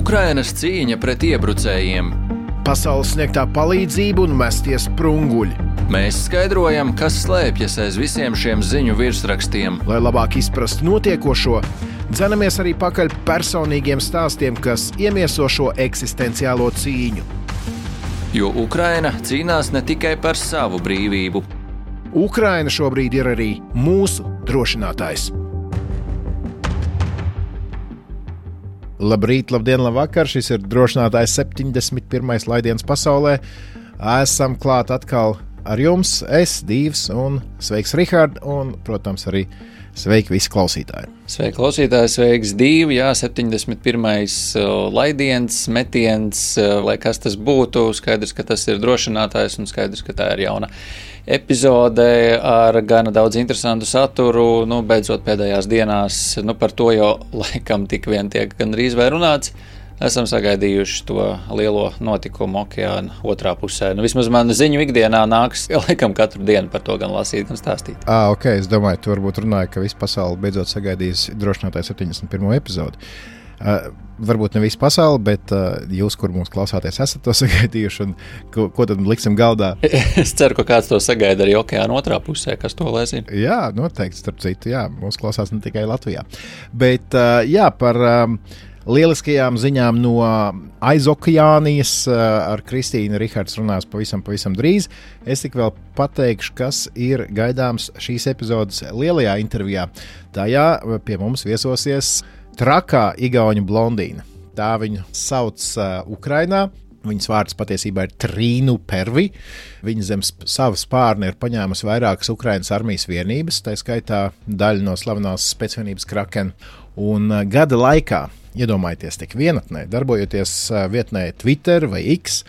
Ukrainas cīņa pret iebrucējiem. Pasaules sniegtā palīdzība un mestie sprunguļi. Mēs skaidrojam, kas slēpjas aiz visiem šiem ziņu virsrakstiem. Lai labāk izprastu notiekošo, dzenamies arī pakaļ personīgiem stāstiem, kas iemieso šo eksistenciālo cīņu. Jo Ukraina cīnās ne tikai par savu brīvību. Ukraina šobrīd ir arī mūsu drošinātājs. Labrīt, labdien, labvakar! Šis ir drošinātājs 71. laidiens pasaulē. Esam klāt atkal ar jums, es, Dīvs, un sveiks, Rihard, un, protams, arī sveiki visi klausītāji. Sveiki, klausītāji, sveiks, Dīvi, jā, 71. laidiens, metiens, lai kas tas būtu, skaidrs, ka tas ir drošinātājs, un skaidrs, ka tā ir jauna epizode ar gana daudz interesantu saturu, beidzot pēdējās dienās, par to jau laikam tik vien tiek gandrīz vai runāts. Esam sagaidījuši to lielo notikumu okeāna otrā pusē. Vismaz man ziņu ikdienā nāks laikam katru dienu par to gan lasīt, gan stāstīt. Ok, es domāju, tu varbūt runāji, ka visa pasaule beidzot sagaidīs drošinātāju 71. epizodi. Varbūt ne visa pasaule, bet jūs, kur mūs klausāties, esat to sagaidījuši, un ko tad liksim galdā? Es ceru, ka kāds to sagaida arī okeāna otrā pusē, kas to lai zina. Jā, noteikti, starp citu, jā, mūs klausās ne tikai Latvijā. Bet jā, par lieliskajām ziņām no aizokeānijas ar Kristīnu Rihards runās pavisam drīz. Es tik vēl pateikšu, kas ir gaidāms šīs epizodes lielajā intervijā. Tajā pie mums viesosies trakā igauņu blondīna. Tā viņu sauc Ukrainā. Viņas vārds patiesībā ir Trīnu Pervi. Viņa zem savu spārni ir paņēmusi vairākas Ukrainas armijas vienības, tā skaitā daļa no slavenās spēcvienības Kraken. Un gada laikā, iedomājieties, tik vienatnē, darbojoties vietnē Twitter vai X,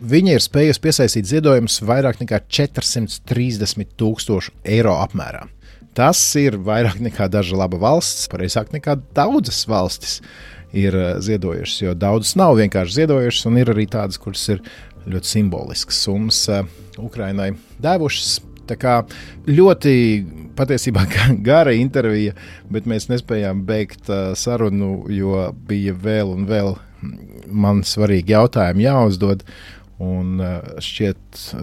viņa ir spējusi piesaistīt ziedojumus vairāk nekā 430,000 eiro apmērā. Tas ir vairāk nekā daža laba valsts, pareizāk nekā daudzas valstis ir ziedojušas, jo daudzas nav vienkārši ziedojušas, un ir arī tādas, kuras ir ļoti simboliskas summas Ukrainai devušas. Tā kā ļoti patiesībā gara intervija, bet mēs nespējām beigt sarunu, jo bija vēl un vēl man svarīgi jautājumi jāuzdod, un šķiet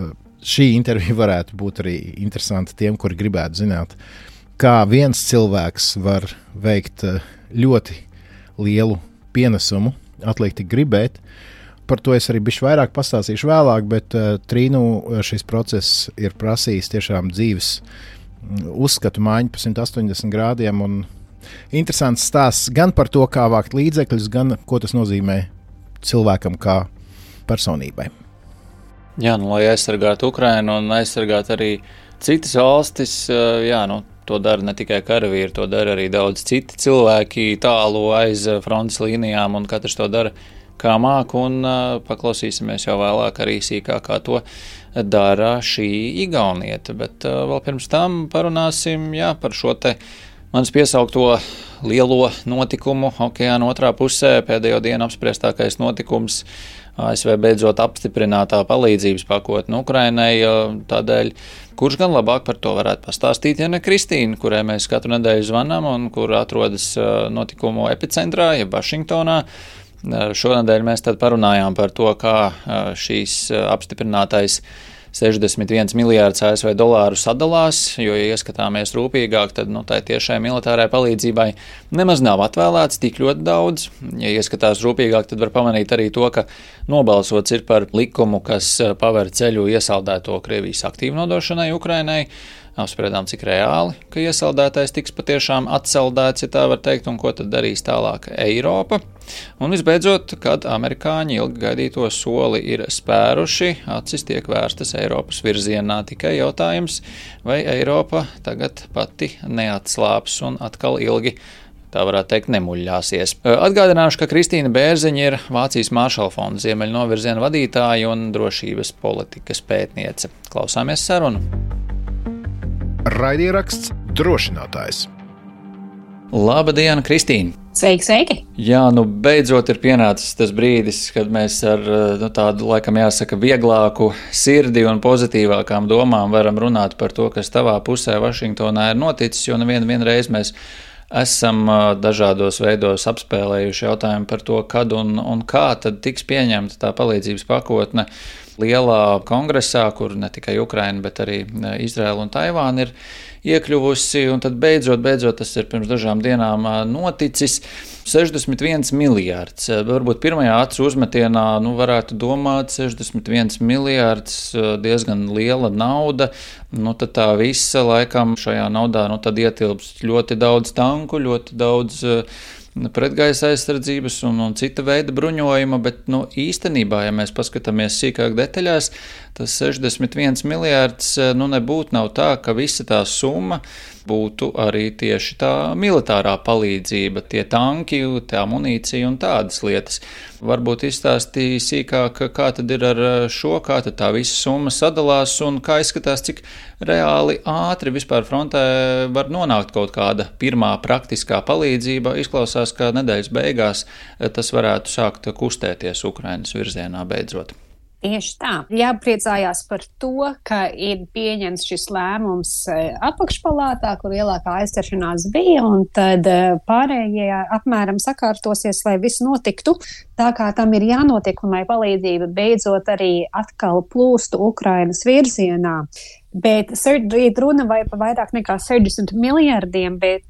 šī intervija varētu būt arī interesanta tiem, kuri gribētu zināt, kā viens cilvēks var veikt ļoti lielu pienesumu, atliek tik gribēt. Par to es arī bišķi vairāk pastāstīšu vēlāk, bet Trīnu šis process ir prasījis tiešām dzīves uzskatu maiņu pa 180 grādiem, un interesants stāsts gan par to, kā vākt līdzekļus, gan ko tas nozīmē cilvēkam kā personībai. Jā, lai aizsargātu Ukrainu un aizsargātu arī citas valstis, to dara ne tikai karavīri, to dara arī daudz citi cilvēki tālu aiz frontes līnijām, un katrs to dara kā māk, un paklausīsimies jau vēlāk arī sīkāk, kā to dara šī igaunieta. Bet vēl pirms tam parunāsim par šo te manis piesaukto lielo notikumu okeāna otrā pusē, pēdējo dienu apspriestākais notikums. ASV beidzot apstiprinātā palīdzības pakotne Ukrainai, tādēļ, kurš gan labāk par to varētu pastāstīt, ja ne Kristīna, kurai mēs katru nedēļu zvanām un kur atrodas notikumu epicentrā, ja Vašingtonā. Šonadēļ mēs tad parunājām par to, kā šīs apstiprinātais 61 miljārdus ASV dolāru sadalās, jo, ja ieskatāmies rūpīgāk, tad tai tiešai militārai palīdzībai nemaz nav atvēlēts tik ļoti daudz. Ja ieskatās rūpīgāk, tad var pamanīt arī to, ka nobalsots ir par likumu, kas paver ceļu iesaldēto Krievijas aktīvu nodošanai Ukrainai. Apspriedām, cik reāli, ka iesaldētais tiks patiešām atsaldēts, ja tā var teikt, un ko tad darīs tālāk Eiropa. Un visbeidzot, kad amerikāņi ilgi gaidīto soli ir spēruši, acis tiek vērstas Eiropas virzienā, tikai jautājums, vai Eiropa tagad pati neatslāps un atkal ilgi, tā varētu teikt, nemuļļāsies. Atgādināšu, ka Kristīna Bērziņa ir Vācijas Maršala fonda ziemeļnovirziena vadītāja un drošības politikas pētniece. Klausāmies sarunu. Raidieraksts drošinātājs. Labdien, Kristīna! Sveiki! Jā, beidzot ir pienācis tas brīdis, kad mēs ar tādu, laikam jāsaka, vieglāku sirdi un pozitīvākām domām varam runāt par to, kas tavā pusē Vašingtonā ir noticis, jo vienreiz mēs esam dažādos veidos apspēlējuši jautājumu par to, kad un kā tad tiks pieņemta tā palīdzības pakotne lielā kongresā, kur ne tikai Ukraina, bet arī Izraela un Taivāna ir iekļuvusi, un tad beidzot, tas ir pirms dažām dienām noticis, 61 miljārds. Varbūt pirmajā acu uzmetienā varētu domāt 61 miljārds, diezgan liela nauda, tad tā visa laikam šajā naudā tad ietilpst ļoti daudz tanku, ļoti daudz pretgaisa aizsardzības un cita veida bruņojuma, bet īstenībā, ja mēs paskatāmies sīkāk detaļās, tas 61 miljārds nebūtu nav tā, ka visa tā summa būtu arī tieši tā militārā palīdzība, tie tanki, tā munīcija un tādas lietas. Varbūt izstāstīja sīkāk, kā tad ir ar šo, kā tad tā visa summa sadalās un kā izskatās, cik reāli ātri vispār frontē var nonākt kaut kāda pirmā praktiskā palīdzība. Izklausās, ka nedēļas beigās tas varētu sākt kustēties Ukrainas virzienā beidzot. Tieši tā. Jāpriecājās par to, ka ir pieņemts šis lēmums apakšpalātā, kur lielākā aizķeršanās bija, un tad pārējie apmēram sakārtosies, lai viss notiktu tā, kā tam ir jānotiek, un lai palīdzība beidzot arī atkal plūstu Ukrainas virzienā. Bet ir runa vai par vairāk nekā 60 miljardiem, bet,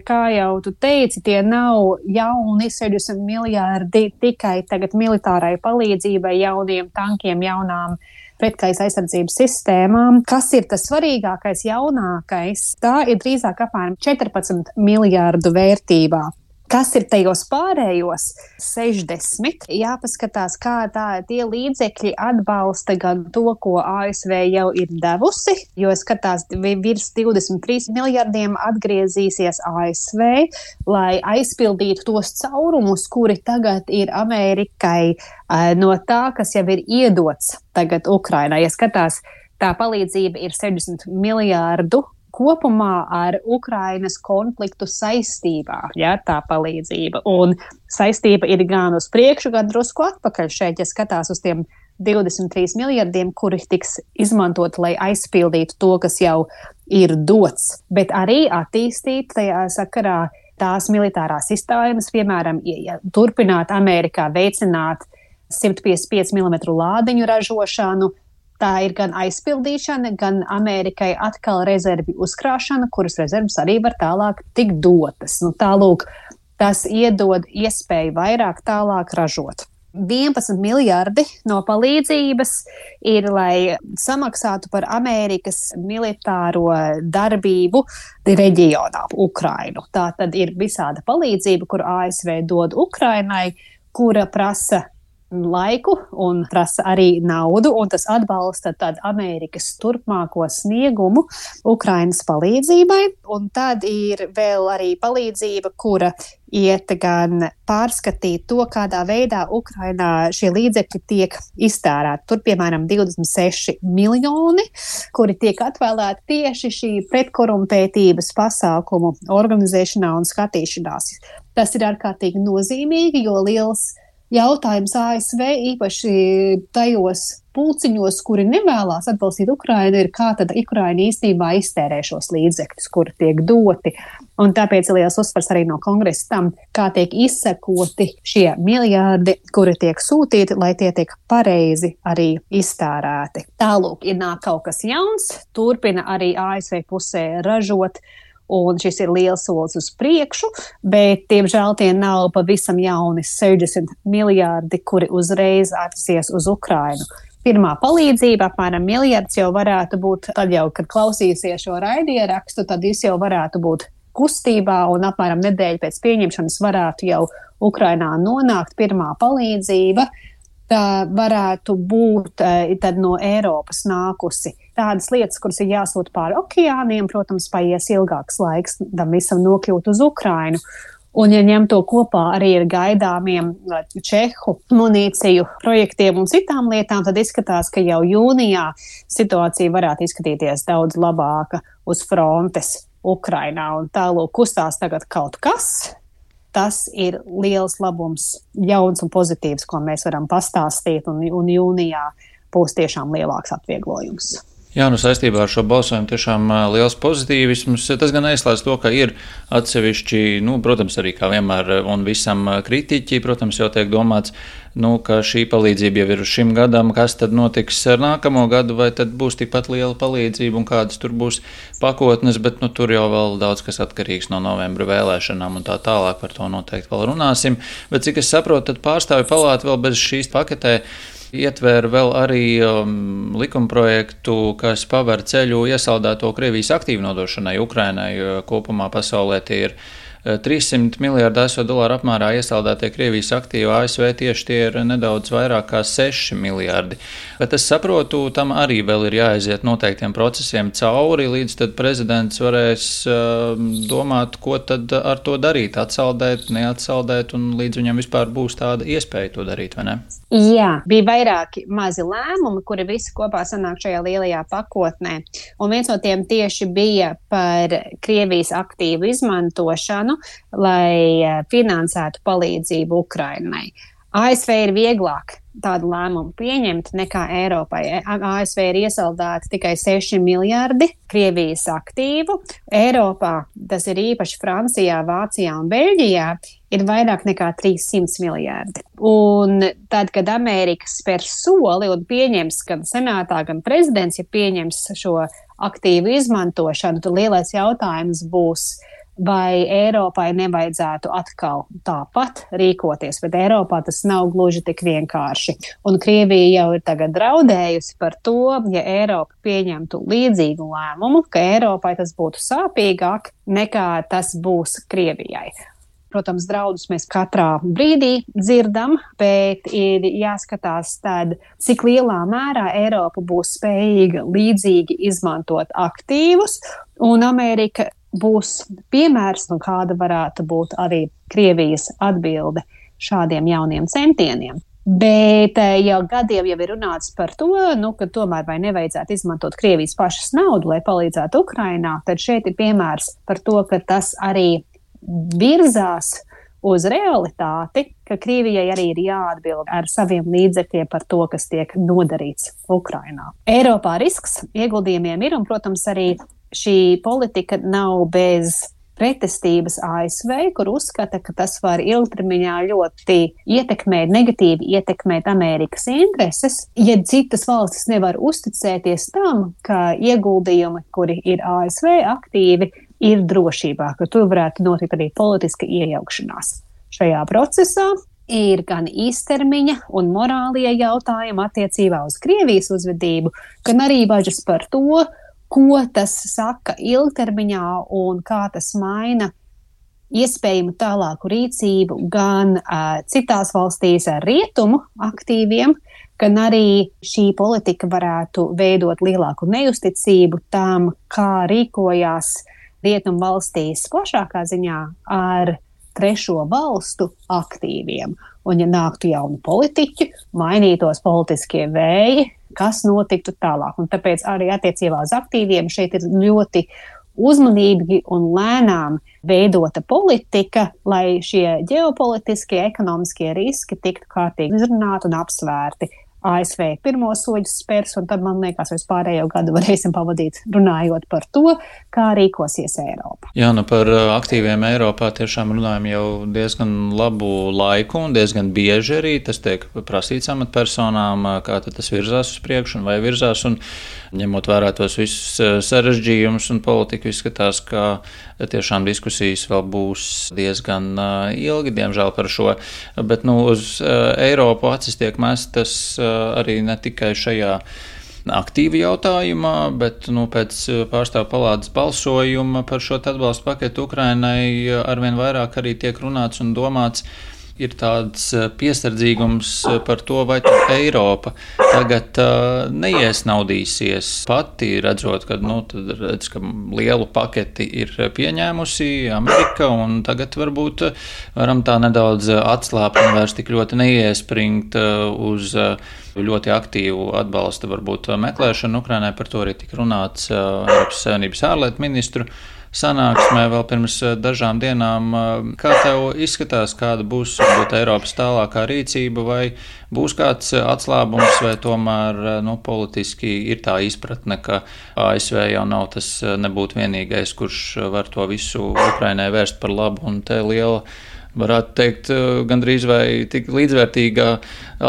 kā jau tu teici, tie nav jauni 60 miljardi tikai tagad militārai palīdzībai, jauniem tankiem, jaunām pretgaisa aizsardzības sistēmām. Kas ir tas svarīgākais, jaunākais? Tā ir drīzāk apmēram 14 miljārdu vērtībā. Kas ir tajos pārējos 60? Jāpaskatās, kā tie līdzekļi atbalsta gan to, ko ASV jau ir devusi, jo skatās virs 23 miljardiem atgriezīsies ASV, lai aizpildītu tos caurumus, kuri tagad ir Amerikai no tā, kas jau ir iedots tagad Ukrainai. Ja skatās, tā palīdzība ir 60 miljārdu kopumā ar Ukrainas konfliktu saistībā, tā palīdzība. Un saistība ir gan uz priekšu, gan drusku atpakaļ šeit, ja skatās uz tiem 23 miljardiem, kuri tiks izmantot, lai aizpildītu to, kas jau ir dots. Bet arī attīstīt tajā sakarā tās militārās sistēmas, piemēram, turpināt Amerikā veicināt 155 mm lādiņu ražošanu. Tā ir gan aizpildīšana, gan Amerikai atkal rezervi uzkrāšana, kuras rezervas arī var tālāk tikt dotas. Tālūk, tas iedod iespēju vairāk tālāk ražot. 11 miljardi no palīdzības ir, lai samaksātu par Amerikas militāro darbību reģionā, Ukrainu. Tā tad ir visāda palīdzība, kur ASV dod Ukrainai, kura prasa laiku un prasa arī naudu, un tas atbalsta tad Amerikas turpmāko sniegumu Ukrainas palīdzībai. Un tad ir vēl arī palīdzība, kura iet gan pārskatīt to, kādā veidā Ukrainā šie līdzekļi tiek iztērēti. Tur, piemēram, 26 miljoni, kuri tiek atvēlēti tieši šī pretkorumpētības pasākumu organizēšanā un skatīšanās. Tas ir ārkārtīgi nozīmīgi, jo liels jautājums ASV, īpaši tajos pulciņos, kuri nevēlās atbalstīt Ukrainu, ir kā tad Ukraina īstenībā iztērē šos līdzekļus, kuri tiek doti. Un tāpēc liels uzsvars arī no kongresa tam, kā tiek izsekoti šie miljārdi, kuri tiek sūtīti, lai tie tiek pareizi arī iztērēti. Tālūk, ir nāk kaut kas jauns, turpina arī ASV pusē ražot, un šis ir liels solis uz priekšu, bet, diemžēl, tie nav pavisam jauni 60 miljārdi, kuri uzreiz atversies uz Ukrainu. Pirmā palīdzība, apmēram miljards, jau varētu būt, tad jau, kad klausīsies šo raidierakstu, tad viņš jau varētu būt kustībā, un apmēram nedēļu pēc pieņemšanas varētu jau Ukrainā nonākt pirmā palīdzība. Tā varētu būt tad no Eiropas nākusi. Tādas lietas, kuras ir jāsūt pāri okeāniem, protams, paies ilgāks laiks tam visam nokļūt uz Ukrainu. Un, ja ņem to kopā arī ar gaidāmiem čehu munīciju projektiem un citām lietām, tad izskatās, ka jau jūnijā situācija varētu izskatīties daudz labāka uz frontes Ukrainā. Un tālūk kustās tagad kaut kas. Tas ir liels labums, jauns un pozitīvs, ko mēs varam pastāstīt, un jūnijā būs tiešām lielāks atvieglojums. Jā, saistībā ar šo balsojumu tiešām liels pozitīvisms. Tas gan neizslēdz to, ka ir atsevišķi, protams, arī kā vienmēr un visam kritiķi, protams, jau tiek domāts, ka šī palīdzība jau ir uz šim gadam, kas tad notiks ar nākamo gadu, vai tad būs tikpat liela palīdzība un kādas tur būs pakotnes, bet tur jau vēl daudz kas atkarīgs no novembra vēlēšanām un tā tālāk, par to noteikti vēl runāsim. Bet cik es saprotu, tad pārstāvju palāta vēl bez šīs paketē ietvēra vēl arī likumprojektu, kas paver ceļu iesaldēto Krievijas aktīvu nodošanai Ukrainai. Kopumā pasaulē tie ir 300 miljārdi ASV dolāru apmērā iesaldētie Krievijas aktīvi, ASV tieši tie ir nedaudz vairāk kā 6 miljārdi. Bet es saprotu, tam arī vēl ir jāaiziet noteiktiem procesiem cauri, līdz tad prezidents varēs domāt, ko tad ar to darīt, atsaldēt, neatsaldēt, un līdz viņam vispār būs tāda iespēja to darīt, vai ne? Jā, bija vairāki mazi lēmumi, kuri visi kopā sanāk šajā lielajā pakotnē. Un viens no tiem tieši bija par Krievijas aktīvu izmantošanu, lai finansētu palīdzību Ukrainai. ASV ir vieglāk tādu lēmumu pieņemt nekā Eiropai. ASV ir iesaldēti tikai 6 miljardi Krievijas aktīvu. Eiropā, tas ir īpaši Francijā, Vācijā un Beļģijā, ir vairāk nekā 300 miljardi. Un tad, kad Amerika spēr soli un pieņems gan senātā, gan prezidents, ja pieņems šo aktīvu izmantošanu, tad lielais jautājums būs, vai Eiropai nevajadzētu atkal tāpat rīkoties, bet Eiropā tas nav gluži tik vienkārši. Un Krievija jau ir tagad draudējusi par to, ja Eiropa pieņemtu līdzīgu lēmumu, ka Eiropai tas būtu sāpīgāk nekā tas būs Krievijai. Protams, draudus mēs katrā brīdī dzirdam, bet ir jāskatās tad, cik lielā mērā Eiropa būs spējīga līdzīgi izmantot aktīvus, un Amerika būs piemērs, un kāda varētu būt arī Krievijas atbilde šādiem jauniem centieniem. Bet jau gadiem jau ir runāts par to, ka tomēr vai nevajadzētu izmantot Krievijas pašas naudu, lai palīdzētu Ukrainā, tad šeit ir piemērs par to, ka tas arī virzās uz realitāti, ka Krievijai arī ir jāatbild ar saviem līdzekļiem par to, kas tiek nodarīts Ukrainā. Eiropā risks ieguldījumiem ir, un, protams, arī šī politika nav bez pretestības ASV, kur uzskata, ka tas var ilgtermiņā ļoti negatīvi ietekmēt Amerikas intereses, ja citas valstis nevar uzticēties tam, ka ieguldījumi, kuri ir ASV aktīvi, ir drošībā, ka tur varētu notikt arī politiska iejaukšanās. Šajā procesā ir gan īstermiņa un morālie jautājumi attiecībā uz Krievijas uzvedību, gan arī bažas par to, ko tas saka ilgtermiņā un kā tas maina iespējamu tālāku rīcību gan citās valstīs ar rietumu aktīviem, gan arī šī politika varētu veidot lielāku neusticību tam, kā rīkojās rietumu valstīs plašākā ziņā ar trešo valstu aktīviem. Un ja nāktu jauni politiķi, mainītos politiskie vēji, kas notiktu tālāk. Un tāpēc arī attiecībā uz aktīviem šeit ir ļoti uzmanīgi un lēnām veidota politika, lai šie ģeopolitiskie, ekonomiskie riski tiktu kārtīgi izrunāti un apsvērti. ASV pirmo soļus spērs, un tad, man liekas, vispārējo gadu varēsim pavadīt runājot par to, kā rīkosies Eiropa. Jā, par aktīviem Eiropā tiešām runājam jau diezgan labu laiku un diezgan bieži arī tas tiek prasīts amatpersonām, kā tad tas virzās uz priekšu un vai virzās, un ņemot vērā tos visus sarežģījumus un politiku, izskatās, ka tiešām diskusijas vēl būs diezgan ilgi, diemžēl par šo, bet uz Eiropu acis tiek mestas arī ne tikai šajā aktīvi jautājumā, bet pēc pārstāvju palātas balsojuma par šo atbalstu paketu Ukrainai arvien vairāk arī tiek runāts un domāts. Ir tāds piesardzīgums par to, vai Eiropa tagad neiesnaudīsies pati, redzot, ka, ka lielu paketi ir pieņēmusi Amerika, un tagad varbūt varam tā nedaudz atslāpt un vairs tik ļoti neiespringt uz ļoti aktīvu atbalsta varbūt meklēšanu Ukrainai. Par to arī tika runāts Eiropas Savienības ārlietu ministru sanāksmē vēl pirms dažām dienām. Kā tev izskatās, kāda būs varbūt Eiropas tālākā rīcība, vai būs kāds atslābums, vai tomēr politiski ir tā izpratne, ka ASV jau nav tas nebūt vienīgais, kurš var to visu Ukrainai vērst par labu, un te liela, varētu teikt, gandrīz vai tik līdzvērtīgā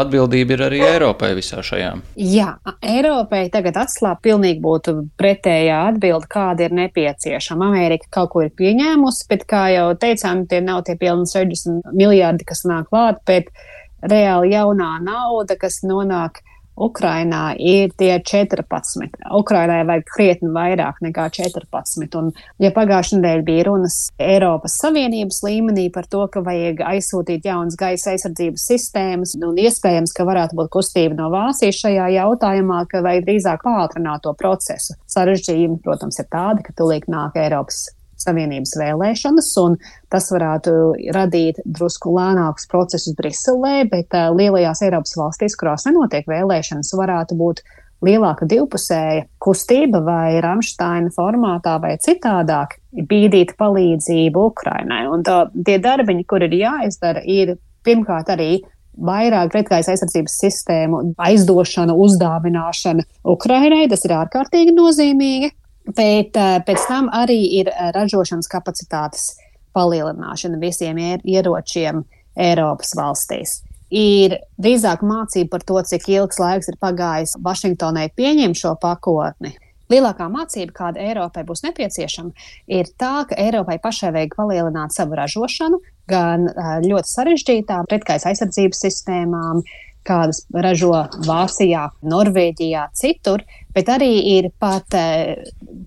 atbildība ir arī Eiropai visā šajā. Jā, Eiropai tagad atslābt pilnīgi būtu pretējā atbilde, kāda ir nepieciešama. Amerika kaut ko ir pieņēmusi, bet, kā jau teicām, tie nav tie pilni 60 miljārdi, kas nāk klāt, bet reāli jaunā nauda, kas nonāk Ukrainā, ir tie 14. Ukrainai vajag krietni vairāk nekā 14. Un, ja pagājušajā nedēļā bija runas Eiropas Savienības līmenī par to, ka vajag aizsūtīt jaunas gaisa aizsardzības sistēmas, un iespējams, ka varētu būt kustība no Vācijas šajā jautājumā, ka vajag drīzāk pātrināt to procesu. Sarežģījumi, protams, ir tādi, ka tūlīt nāk Eiropas Savienības vēlēšanas, un tas varētu radīt drusku lēnākus procesus Briselē, bet lielajās Eiropas valstīs, kurās nenotiek vēlēšanas, varētu būt lielāka divpusēja kustība vai Ramštaina formātā vai citādāk bīdīt palīdzību Ukrainai. Un tie darbiņi, kur ir jāizdara, ir pirmkārt arī vairāk pretgaisa aizsardzības sistēmu aizdošana, uzdāvināšana Ukrainai, tas ir ārkārtīgi nozīmīgi. Bet pēc tam arī ir ražošanas kapacitātes palielināšana visiem ieročiem Eiropas valstīs. Ir drīzāk mācība par to, cik ilgs laiks ir pagājis Vašingtonai pieņemt šo pakotni. Lielākā mācība, kāda Eiropai būs nepieciešama, ir tā, ka Eiropai pašai vajag palielināt savu ražošanu, gan ļoti sarežģītām pretgaisa aizsardzības sistēmām, kādas ražo Vācijā, Norvēģijā, citur, bet arī ir pat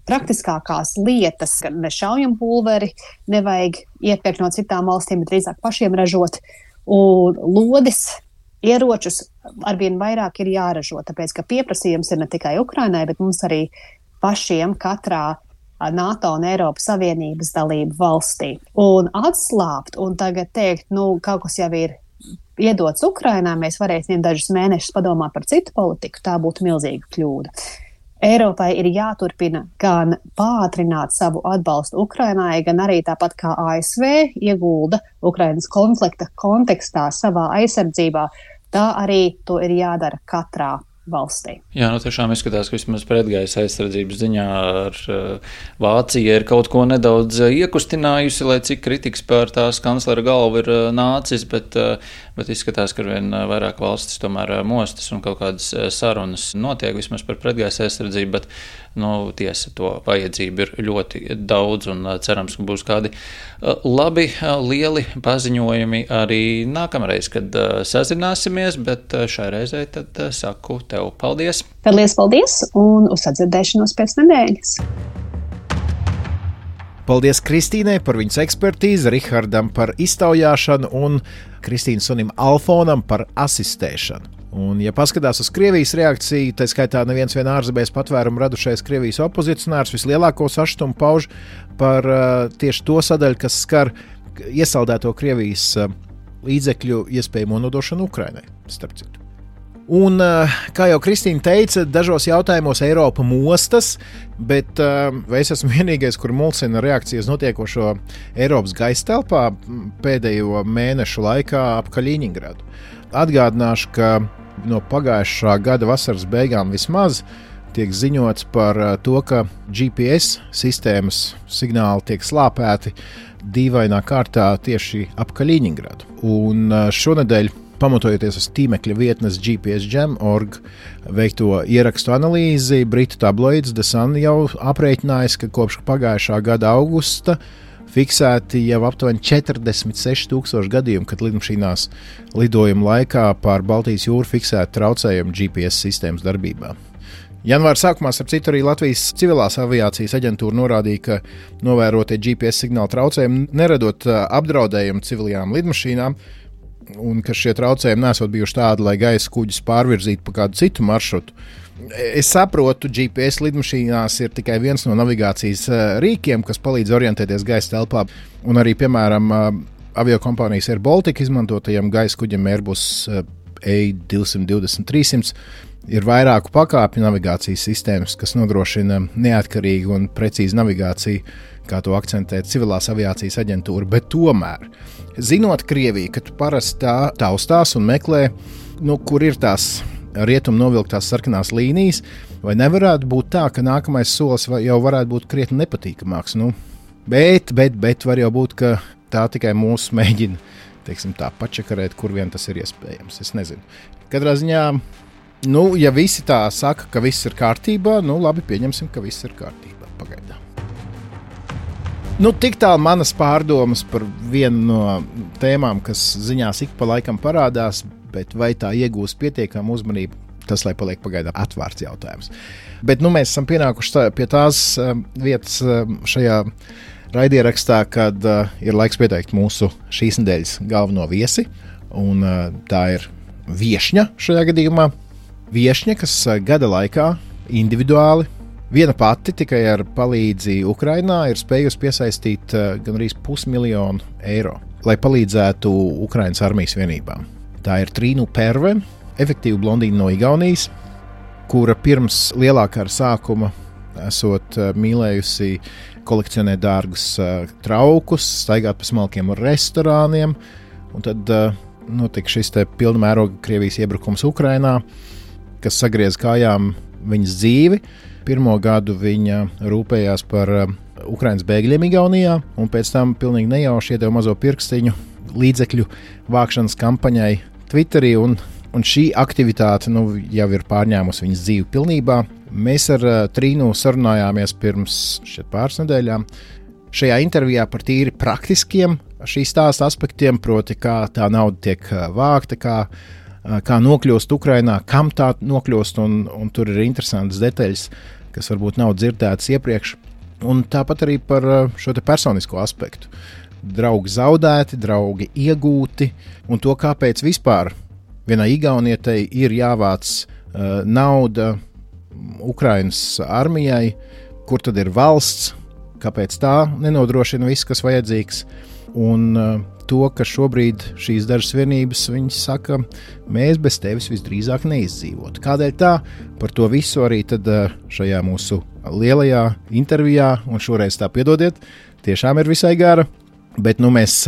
praktiskākās lietas, ka šaujampulveri nevajag iepirkt no citām valstīm, bet drīzāk pašiem ražot, un lodis, ieročus arvien vairāk ir jāražo, tāpēc, ka pieprasījums ir ne tikai Ukrainai, bet mums arī pašiem katrā NATO un Eiropas Savienības dalību valstī. Un atslābt un tagad teikt, kaut kas jau ir iedots Ukrainā, mēs varēsim dažus mēnešus padomāt par citu politiku, tā būtu milzīga kļūda. Eiropai ir jāturpina gan pātrināt savu atbalstu Ukrainai, gan arī tāpat kā ASV iegulda Ukrainas konflikta kontekstā savā aizsardzībā, tā arī to ir jādara katrā valstī. Jā, tiešām izskatās, ka vismaz pretgaisa aizsardzības ziņā ar Vācija ir kaut ko nedaudz iekustinājusi, lai cik kritikas pār tās kanclera galvu ir nācis, bet izskatās, ka arvien vairāk valstis tomēr mostas un kaut kādas sarunas notiek vismaz par pretgaisa aizsardzību, bet tiesa, to vajadzību ir ļoti daudz un cerams, ka būs kādi labi, lieli paziņojumi arī nākamreiz, kad sazināsimies, bet šai reizei tad saku tev paldies. Paldies un uz sadzirdēšanos pēc nedēļas. Paldies Kristīnai par viņas ekspertīzi, Rihardam par iztaujāšanu un Kristīnas sunim Alfonam par asistēšanu. Un, ja paskatās uz Krievijas reakciju, tā skaitā neviens vien ārzemēs patvērumu radušais Krievijas opozicionārs vislielāko sašutumu pauž par tieši to sadaļu, kas skar iesaldēto Krievijas līdzekļu iespējamo nodošanu Ukrainai, starp citu. Un, kā jau Kristīna teica, dažos jautājumos Eiropa mostas, bet vai es esmu vienīgais, kur mulsina reakcijas notiekošo Eiropas gaisa telpā pēdējo mēnešu laikā ap Kaļiņingradu. Atgādināšu, ka no pagājušā gada vasaras beigām vismaz tiek ziņots par to, ka GPS sistēmas signāli tiek slāpēti dīvainā kārtā tieši ap Kaļiņingradu. Un šonedēļ, pamatojoties uz tīmekļa vietnes GPSjam.org veikto ierakstu analīzi, britu tabloids The Sun jau aprēķinājis, ka kopš pagājušā gada augusta fiksēti jau aptuveni 46,000 gadījumu, kad lidmašīnās lidojuma laikā pār Baltijas jūru fiksēti traucējumi GPS sistēmas darbībā. Janvāra sākumā, starp citu, arī Latvijas civilās aviācijas aģentūra norādīja, ka novērotie GPS signāla traucējumi neradot apdraudējumu civilajām lidmašīnām, un ka šie traucējumi nesot bijuši tādi, lai gaisa kuģus pārvirzītu pa kādu citu maršrutu. Es saprotu, GPS lidmašīnās ir tikai viens no navigācijas rīkiem, kas palīdz orientēties gaisa telpā, un arī, piemēram, aviokompānijas Air Baltica izmantotajam gaisa kuģim Airbus A220-300 ir vairāku pakāpju navigācijas sistēmas, kas nodrošina neatkarīgu un precīzu navigāciju, kā to akcentē civilās aviācijas aģentūra, bet tomēr, zinot Krieviju, ka tu parasti tā taustās un meklē, kur ir tās rietumu novilktās sarkanās līnijas, vai nevarētu būt tā, ka nākamais solis jau varētu būt krietni nepatīkamāks. Bet var jau būt, ka tā tikai mūs mēģina, tā pačakarēt, kur vien tas ir iespējams. Es nezinu. Katrā ziņā, ja visi tā saka, ka viss ir kārtībā, labi, pieņemsim, ka viss ir kārtībā pagaidām. Tik tālu manas pārdomas par vienu no tēmām, kas ziņās ik pa laikam parādās, bet vai tā iegūs pietiekamu uzmanību, tas, lai paliek pagaidām atvērts jautājums. Bet mēs esam pienākuši pie tās vietas šajā raidierakstā, kad ir laiks pieteikt mūsu šīs nedēļas galveno viesi, un tā ir viešņa šajā gadījumā. Viešņa, kas gada laikā individuāli viena pati tikai ar palīdzību Ukrainā ir spējusi piesaistīt gandrīz 500 000 eiro, lai palīdzētu Ukrainas armijas vienībām. Tā ir Trīnu Perve, efektīva blondīna no Igaunijas, kura pirms lielā kara sākuma esot mīlējusi kolekcionēt dārgus traukus, staigāt pa smalkiem restorāniem, un tad notika šis pilna mēroga Krievijas iebrukums Ukrainā, kas sagriez kājām viņas dzīvi. Pirmo gadu viņa rūpējās par Ukrainas bēgļiem Igaunijā, un pēc tam pilnīgi nejauši iedeva mazo pirkstiņu līdzekļu vākšanas kampaņai Twitterī, un šī aktivitāte jau ir pārņēmusi viņas dzīvi pilnībā. Mēs ar Trīnu sarunājāmies pirms pāris nedēļām šajā intervijā par tīri praktiskiem šī stāsta aspektiem, proti kā tā nauda tiek vākta, kā nokļūst Ukrainā, kam tā nokļūst, un tur ir interesantas detaļas, kas varbūt nav dzirdētas iepriekš. Un tāpat arī par šo personisko aspektu. Draugi zaudēti, draugi iegūti, un to, kāpēc vispār vienai igaunietei ir jāvāc nauda Ukrainas armijai, kur tad ir valsts, kāpēc tā nenodrošina viss, kas vajadzīgs. Un to, ka šobrīd šīs dažas vienības, viņas saka, mēs bez tevis visdrīzāk neizdzīvotu. Kādēļ tā? Par to visu arī tad šajā mūsu lielajā intervijā, un šoreiz tā piedodiet, tiešām ir visai gara, bet mēs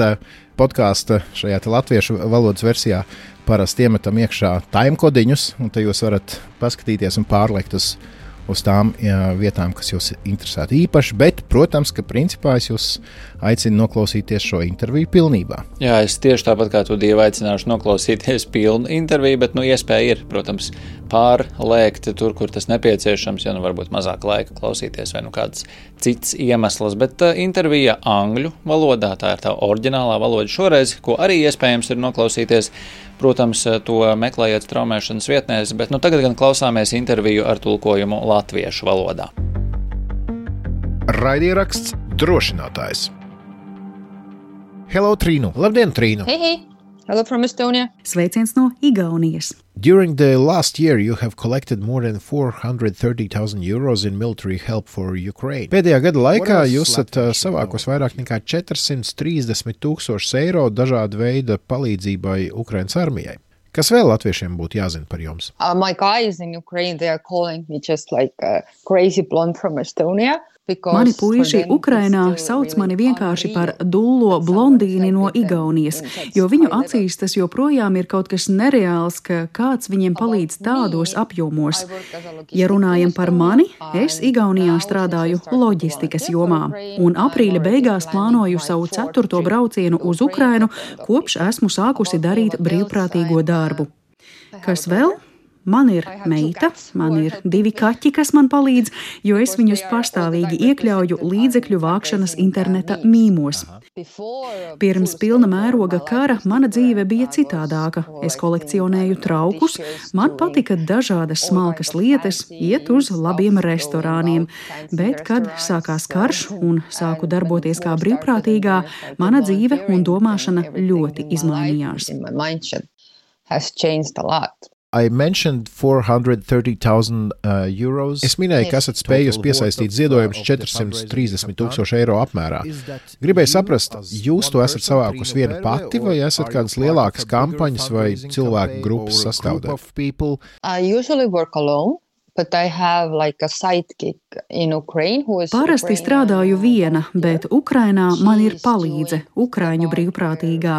podkāsta šajā latviešu valodas versijā parasti iemetam iekšā timekodiņus, un te jūs varat paskatīties un pārliekt uz tām vietām, kas jūs interesētu īpaši, bet, protams, ka principā es jūs aicinu noklausīties šo interviju pilnībā. Jā, es tieši tāpat kā tu, Dieva, aicināšu noklausīties pilnu interviju, bet, iespēja ir, protams, pārlēkt tur, kur tas nepieciešams, ja varbūt mazāk laika klausīties vai kāds cits iemesls, bet intervija angļu valodā, tā ir tā oriģinālā valoda šoreiz, ko arī iespējams ir noklausīties. Protams, to meklējiet straumēšanas vietnēs, bet tagad gan klausāmies interviju ar tulkojumu latviešu valodā. Raidieraksts Drošinātājs. Hello, Trīnu! Labdien, Trīnu! Hei! Hello from Estonia. Sveiciens no Igaunijas. During the last year, you have collected more than 430,000 euros in military help for Ukraine. Pēdējā gada laikā jūs esat savākos vairāk nekā 430,000 eiro dažāda veida palīdzībai Ukrainas armijai. Kas vēl latviešiem būtu jāzina par jums? My guys in Ukraine, they are calling me just like a crazy blonde from Estonia. Mani puiši Ukrainā sauc mani vienkārši par dullo blondīni no Igaunijas, jo viņu acīs tas joprojām ir kaut kas nereāls, ka kāds viņiem palīdz tādos apjomos. Ja runājam par mani, es Igaunijā strādāju loģistikas jomā, un aprīļa beigās plānoju savu 4. braucienu uz Ukrainu, kopš esmu sākusi darīt brīvprātīgo darbu. Kas vēl? Man ir meita, man ir 2 kaķi, kas man palīdz, jo es viņus pastāvīgi iekļauju līdzekļu vākšanas interneta mīmos. Pirms pilna mēroga kara mana dzīve bija citādāka. Es kolekcionēju traukus, man patika dažādas smalkas lietas, iet uz labiem restorāniem, bet, kad sākās karš un sāku darboties kā brīvprātīgā, mana dzīve un domāšana ļoti izmainījās. I mentioned 430,000 euros. Es minēju, ka esat spējusi piesaistīt ziedojumus 430,000 eiro apmērā. Gribēju saprast, jūs to esat savākusi viena pati, vai esat kādas lielākas kampaņas vai cilvēku grupas sastāvdaļa? I usually work alone. But I have like a sidekick in Ukraine who is Parasti strādāju viena, bet Ukrainā man ir palīdze, ukraiņu brīvprātīgā.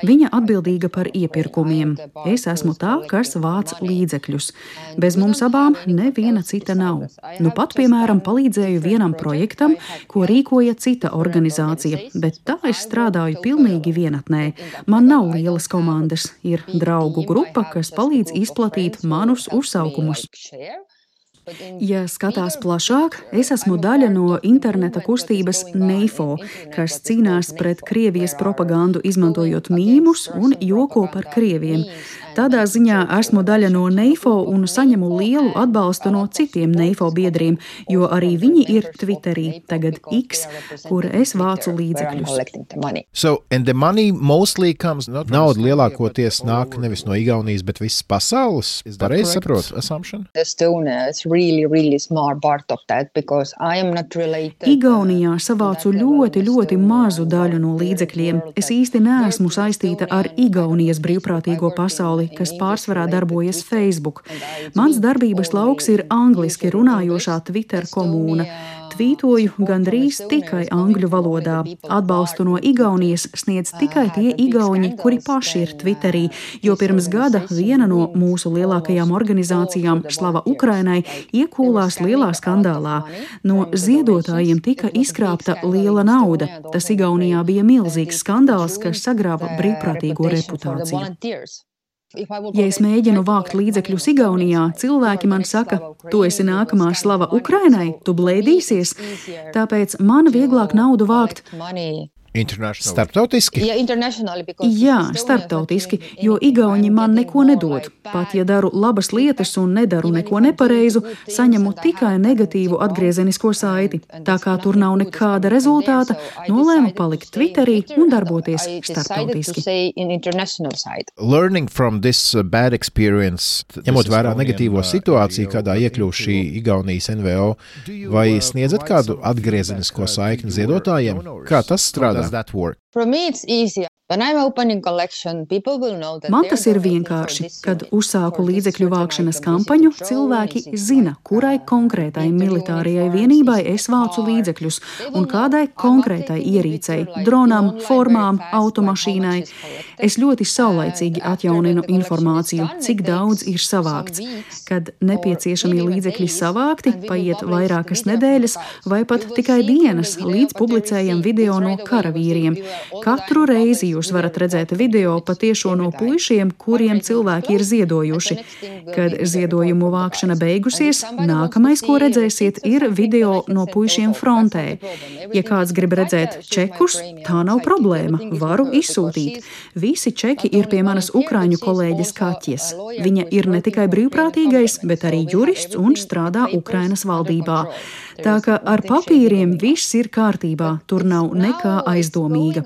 Viņa atbildīga par iepirkumiem. Es esmu tā, kas vāc līdzekļus. Bez mums abām neviena cita nav. Nu pat, piemēram, palīdzēju vienam projektam, ko rīkoja cita organizācija, bet tā es strādāju pilnīgi vienatnē. Man nav lielas komandas, ir draugu grupa, kas palīdz izplatīt manus uzsaukumus. Ja skatās plašāk, es esmu daļa no interneta kustības NEIFO, kas cīnās pret Krievijas propagandu, izmantojot mīmus un joko par krieviem. Tādā ziņā esmu daļa no NEIFO un saņemu lielu atbalstu no citiem NEIFO biedriem, jo arī viņi ir Twitterī, tagad X, kur es vācu līdzekļus. So, and the money mostly comes, nauda lielākoties nāk nevis no Igaunijas, bet visas pasaules? Pareizi saprotu, assumption? Really small part of that because I am not related. Igaunijā savācu ļoti mazu daļu no līdzekļiem. Es īsti neesmu saistīta ar Igaunijas brīvprātīgo pasauli, kas pārsvarā darbojas Facebook. Mans darbības lauks ir angliski runājošā Twitter komūna. Tvītoju gandrīz tikai angļu valodā. Atbalstu no Igaunijas sniedz tikai tie igauņi, kuri paši ir Twitterī, jo pirms gada viena no mūsu lielākajām organizācijām, Slava Ukrainai, iekūlās lielā skandālā. No ziedotājiem tika izkrāpta liela nauda. Tas Igaunijā bija milzīgs skandāls, kas sagrāva brīvprātīgo reputāciju. Ja es mēģinu vākt līdzekļus Igaunijā, cilvēki man saka, tu esi nākamā Slava Ukrainai, tu blēdīsies, tāpēc man vieglāk naudu vākt. Starptautiski? Jā, starptautiski, jo igauņi man neko nedod. Pat ja daru labas lietas un nedaru neko nepareizu, saņemu tikai negatīvu atgriezenisko saiti. Tā kā tur nav nekāda rezultāta, nolēmu palikt Twitterī un darboties starptautiski. Learning from this bad experience, ņemot vērā negatīvo situāciju, kādā iekļūst šī Igaunijas NVO, vai sniedzat kādu atgriezenisko saikni ziedotājiem? Kā tas strādā? For me it's easy. When I'm opening collection, people will know that Man tas ir vienkārši. Kad uzsāku līdzekļu vākšanas kampaņu, cilvēki zina, kurai konkrētai militārajai vienībai es vācu līdzekļus un kādai konkrētai ierīcei, dronam, formām, automašīnai. Es ļoti saulaicīgi atjauninu informāciju, cik daudz ir savākts. Kad nepieciešamie līdzekļi savākti, paiet vairākas nedēļas vai pat tikai dienas, līdz publicējam video no karavīriem. Katru reizi jūs varat redzēt video patiešo no puišiem, kuriem cilvēki ir ziedojuši. Kad ziedojumu vākšana beigusies, nākamais, ko redzēsiet, ir video no puišiem frontē. Ja kāds grib redzēt čekus, tā nav problēma, varu izsūtīt. Visi čeki ir pie manas ukraiņu kolēģes Kaķes. Viņa ir ne tikai brīvprātīgais, bet arī jurists un strādā Ukrainas valdībā. Tā ka ar papīriem viss ir kārtībā, tur nav nekā aizdomīga.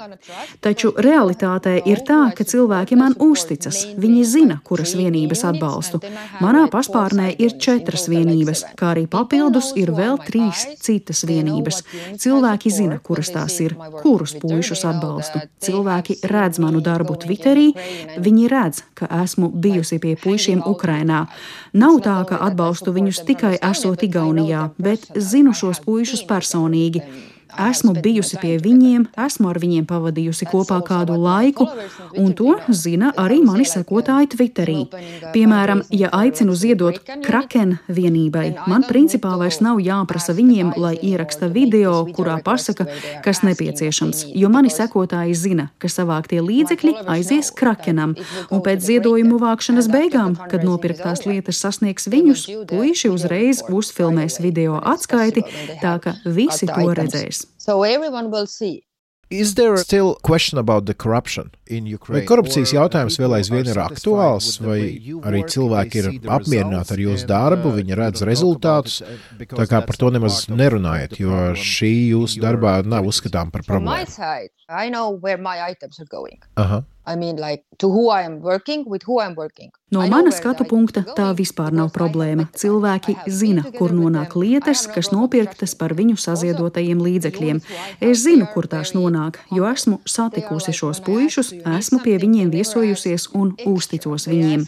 Taču realitātē ir tā, ka cilvēki man uzticas. Viņi zina, kuras vienības atbalstu. Manā paspārnē ir 4 vienības, kā arī papildus ir vēl 3 citas vienības. Cilvēki zina, kuras tās ir, kurus puišus atbalstu. Cilvēki redz manu darbu Twitterī, viņi redz, ka esmu bijusi pie puišiem Ukrainā. Nav tā, ka atbalstu viņus tikai esot Igaunijā, bet zinu šos puišus personīgi. Esmu bijusi pie viņiem, esmu ar viņiem pavadījusi kopā kādu laiku, un to zina arī mani sekotāji Twitterī. Piemēram, ja aicinu ziedot Kraken vienībai, man principā vairs nav jāprasa viņiem, lai ieraksta video, kurā pasaka, kas nepieciešams, jo mani sekotāji zina, ka savāktie līdzekļi aizies Krakenam, un pēc ziedojumu vākšanas beigām, kad nopirktās lietas sasniegs viņus, puiši uzreiz uzfilmēs video atskaiti, tā ka visi to redzēs. So everyone will see. Is there still question about the corruption in Ukraine? Vai korupcijas jautājums vēl aizvien ir aktuāls, vai arī cilvēki ir apmierināti ar jūsu darbu, viņi redz rezultātus, tā kā par to nemaz nerunājat, jo šī jūsu darbā nav uzskatām par problēmu? I know where my items are going. I mean, like, to who I am working, with who I'm working. No mana skatu punkta tā vispār nav problēma. Cilvēki zina, kur nonāk lietas, kas nopirktas par viņu saziedotajiem līdzekļiem. Es zinu, kur tās nonāk, jo esmu satikusi šos puišus, esmu pie viņiem viesojusies un uzticos viņiem.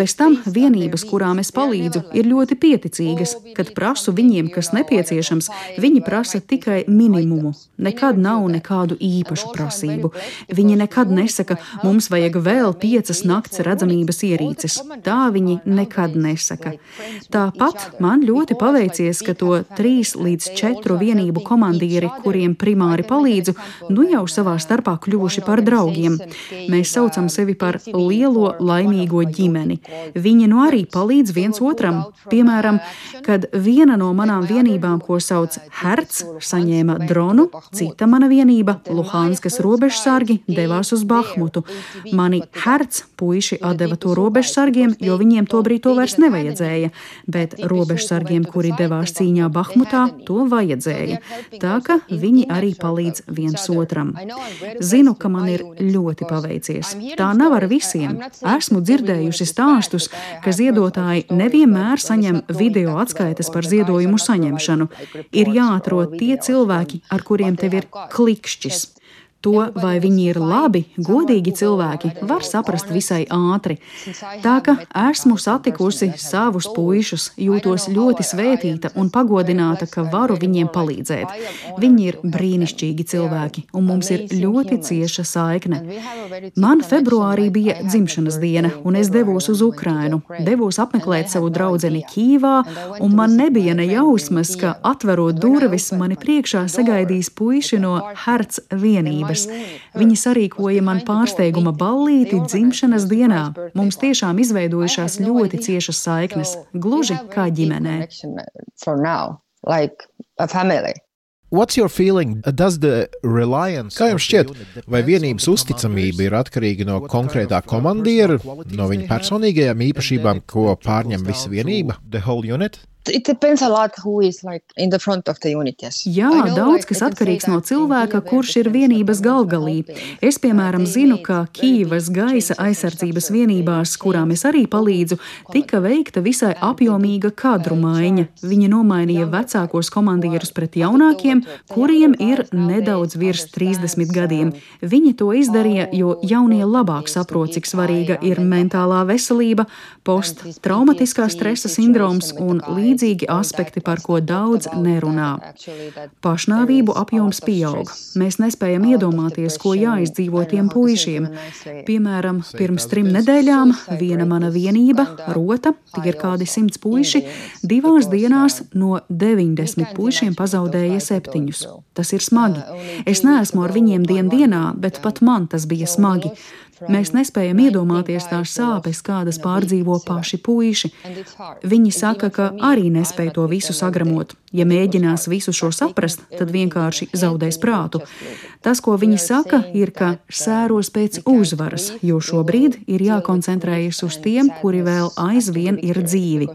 Bez tam vienības, kurām es palīdzu, ir ļoti pieticīgas. Kad prasu viņiem, kas nepieciešams, viņi prasa tikai minimumu. Nekad nav nekādu īpašu prasību. Viņi nekad nesaka, mums vajag vēl 5 nakts redzamības ierīces. Tā viņi nekad nesaka. Tāpat man ļoti paveicies, ka to 3 līdz 4 vienību komandieri, kuriem primāri palīdzu, nu jau savā starpā kļuvuši par draugiem. Mēs saucam sevi par lielo laimīgo ģimeni. Viņi nu arī palīdz viens otram. Piemēram, kad viena no manām vienībām, ko sauc Herts, saņēma dronu, cita mana vienība, Luhanskas robežsargi, devās uz Bahmutu. Mani Herts puiši atdeva to robežsargiem, jo viņiem tobrīd to vairs nevajadzēja, bet robežsargiem, kuri devās cīņā Bahmutā, to vajadzēja. Tā ka viņi arī palīdz viens otram. Zinu, ka man ir ļoti paveicies. Tā nav ar visiem. Esmu dzirdējusi stāstus, ka ziedotāji nevienmēr saņem video atskaites par ziedojumu saņemšanu. Ir jāatrod tie cilvēki, ar kuriem tev ir klikšķis. To, vai viņi ir labi, godīgi cilvēki, var saprast visai ātri. Tā ka esmu satikusi savus puišus, jūtos ļoti svētīta un pagodināta, ka varu viņiem palīdzēt. Viņi ir brīnišķīgi cilvēki, un mums ir ļoti cieša saikne. Man februārī bija dzimšanas diena, un es devos uz Ukrainu. Devos apmeklēt savu draudzeni Kīvā, un man nebija ne jausmas, ka atverot durvis, mani priekšā sagaidīs puiši no Herts vienības. Viņi sarīkoja man pārsteiguma ballīti dzimšanas dienā. Mums tiešām izveidojušās ļoti ciešas saiknes, gluži kā ģimenē. What's your feeling? Kā jums šķiet, vai vienības uzticamība ir atkarīga no konkrētā komandiera, no viņa personīgajām īpašībām, ko pārņem visa vienība, the whole unit? It depends a lot who is like in the front of the unit, yes. Jā, daudz kas atkarīgs no cilvēka, kurš ir vienības galvgalī. Es, piemēram, zinu, ka Kīvas gaisa aizsardzības vienībās, kurām es arī palīdzu, tika veikta visai apjomīga kadru maiņa. Viņi nomainīja vecākos komandierus pret jaunākiem, kuriem ir nedaudz virs 30 gadiem. Viņi to izdarīja, jo jaunie labāk saprot, cik svarīga ir mentālā veselība, posttraumatiskā stresa sindroms un līdzīgi aspekti, par ko daudz nerunā. Pašnāvību apjoms pieaug. Mēs nespējam iedomāties, ko jāizdzīvo tiem puišiem. Piemēram, pirms 3 nedēļām viena mana vienība, Rota, tie ir kādi 100 puiši, 2 dienās no 90 puišiem pazaudēja 7. Tas ir smagi. Es neesmu ar viņiem dienā, bet pat man tas bija smagi. Mēs nespējam iedomāties tās sāpes, kādas pārdzīvo paši puiši. Viņi saka, ka arī nespēj to visu sagramot. Ja mēģinās visu šo saprast, tad vienkārši zaudēs prātu. Tas, ko viņi saka, ir, ka sēros pēc uzvaras, jo šobrīd ir jākoncentrējas uz tiem, kuri vēl aizvien ir dzīvi.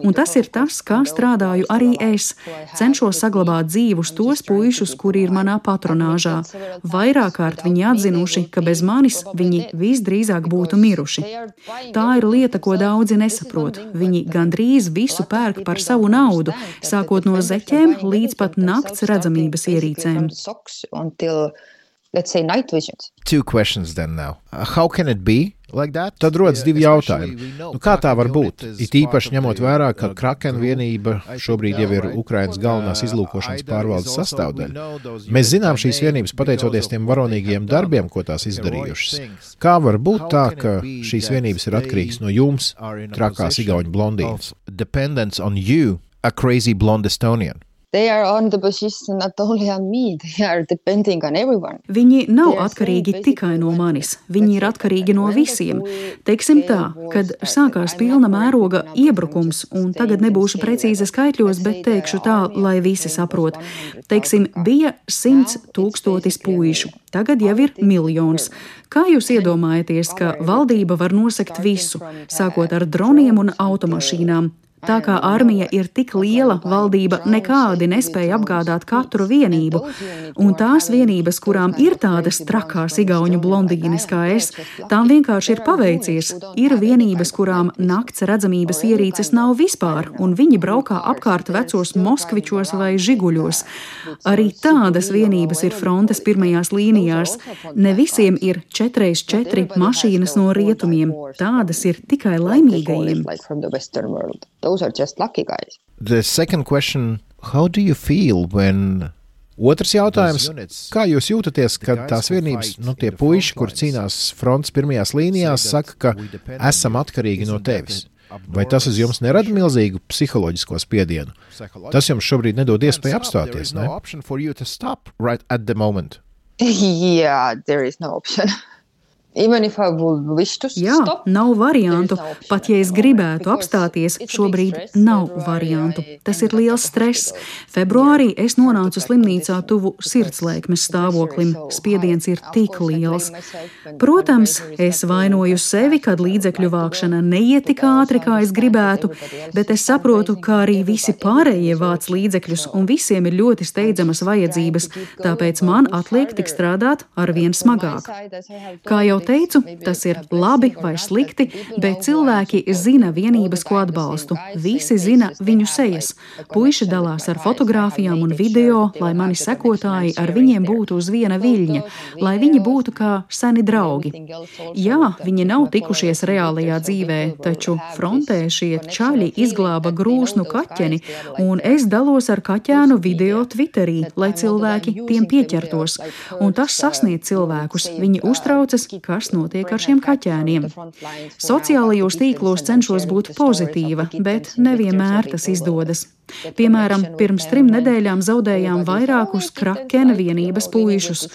Un tas ir tas, kā strādāju arī es. Cenšos saglabāt dzīvus tos puišus, kuri ir manā patronāžā. Vairāk kārt viņi atzinuši, ka bez manis viņi visdrīzāk būtu miruši. Tā ir lieta, ko daudzi nesaprot. Viņi gandrīz visu pērk par savu naudu, sākot no zeķēm līdz pat nakts redzamības ierīcēm. Two questions then now. How can it be like that? Tad rodas 2 jautājumi. Kā tā var būt? It īpaši ņemot vērā, ka Kraken vienība šobrīd jau ir Ukrainas galvenās izlūkošanas pārvaldes sastāvdaļa. Mēs zinām šīs vienības pateicoties tiem varonīgiem darbiem, ko tās izdarījušas. Kā var būt tā, ka šīs vienības ir atkarīgas no jums, trakās igauņu blondīnas? Dependence on you, a crazy blonde Estonian. They are on the position not only on me, they are depending on everyone. Viņi nav atkarīgi tikai no manis, viņi ir atkarīgi no visiem. Teiksim tā, kad sākās pilna mēroga iebrukums, un tagad nebūšu precīzi skaitļos, bet teikšu tā, lai visi saprot. Teiksim, bija 100 000 puišu, tagad jau ir 1 miljons. Kā jūs iedomājaties, ka valdība var nosegt visu, sākot ar droniem un automašīnām? Tā kā armija ir tik liela, valdība nekādi nespēja apgādāt katru vienību. Un tās vienības, kurām ir tādas trakās igauņu blondīnes kā es, tām vienkārši ir paveicies. Ir vienības, kurām nakts redzamības ierīces nav vispār, un viņi braukā apkārt vecos Moskvičos vai Žiguļos. Arī tādas vienības ir frontes pirmajās līnijās. Ne visiem ir 4x4 mašīnas no rietumiem. Tādas ir tikai laimīgajiem. The second question, how do you feel when... Otrs jautājums, kā jūs jūtaties, kad tās vienības, tie puiši, kur cīnās frontes pirmajās līnijās, saka, ka esam atkarīgi no tevis? Vai tas uz jums nerada milzīgu psiholoģisko spiedienu? Tas jums šobrīd nedod iespēju apstāties, ne? Yeah, there is no option. Even if I would wish to Jā, stop, nav variantu. Pat ja es gribētu apstāties, šobrīd nav variantu. Tas ir liels stress. Februārī es nonācu slimnīcā tuvu sirdslēkmes stāvoklim. Spiediens ir tik liels. Protams, es vainoju sevi, kad līdzekļu vākšana neiet tik ātri, kā es gribētu, bet es saprotu, ka arī visi pārējie vāc līdzekļus un visiem ir ļoti steidzamas vajadzības, tāpēc man atliek tik strādāt arvien smagāk. Kā jau teicu, tas ir labi vai slikti, bet cilvēki zina vienības, ko atbalstu. Visi zina viņu sejas. Puiši dalās ar fotogrāfijām un video, lai mani sekotāji ar viņiem būtu uz viena viļņa, lai viņi būtu kā seni draugi. Jā, viņi nav tikušies reālajā dzīvē, taču frontē šie čaļi izglāba grūsnu kaķeni, un es dalos ar kaķēnu video Twitterī, lai cilvēki tiem pieķertos. Un tas sasniedz cilvēkus. Viņi uztraucas, kas notiek ar šiem kaķēniem. Sociālajos tīklos cenšos būt pozitīva, bet nevienmēr tas izdodas. Piemēram, pirms 3 nedēļām zaudējām vairākus Krakena vienības puišus.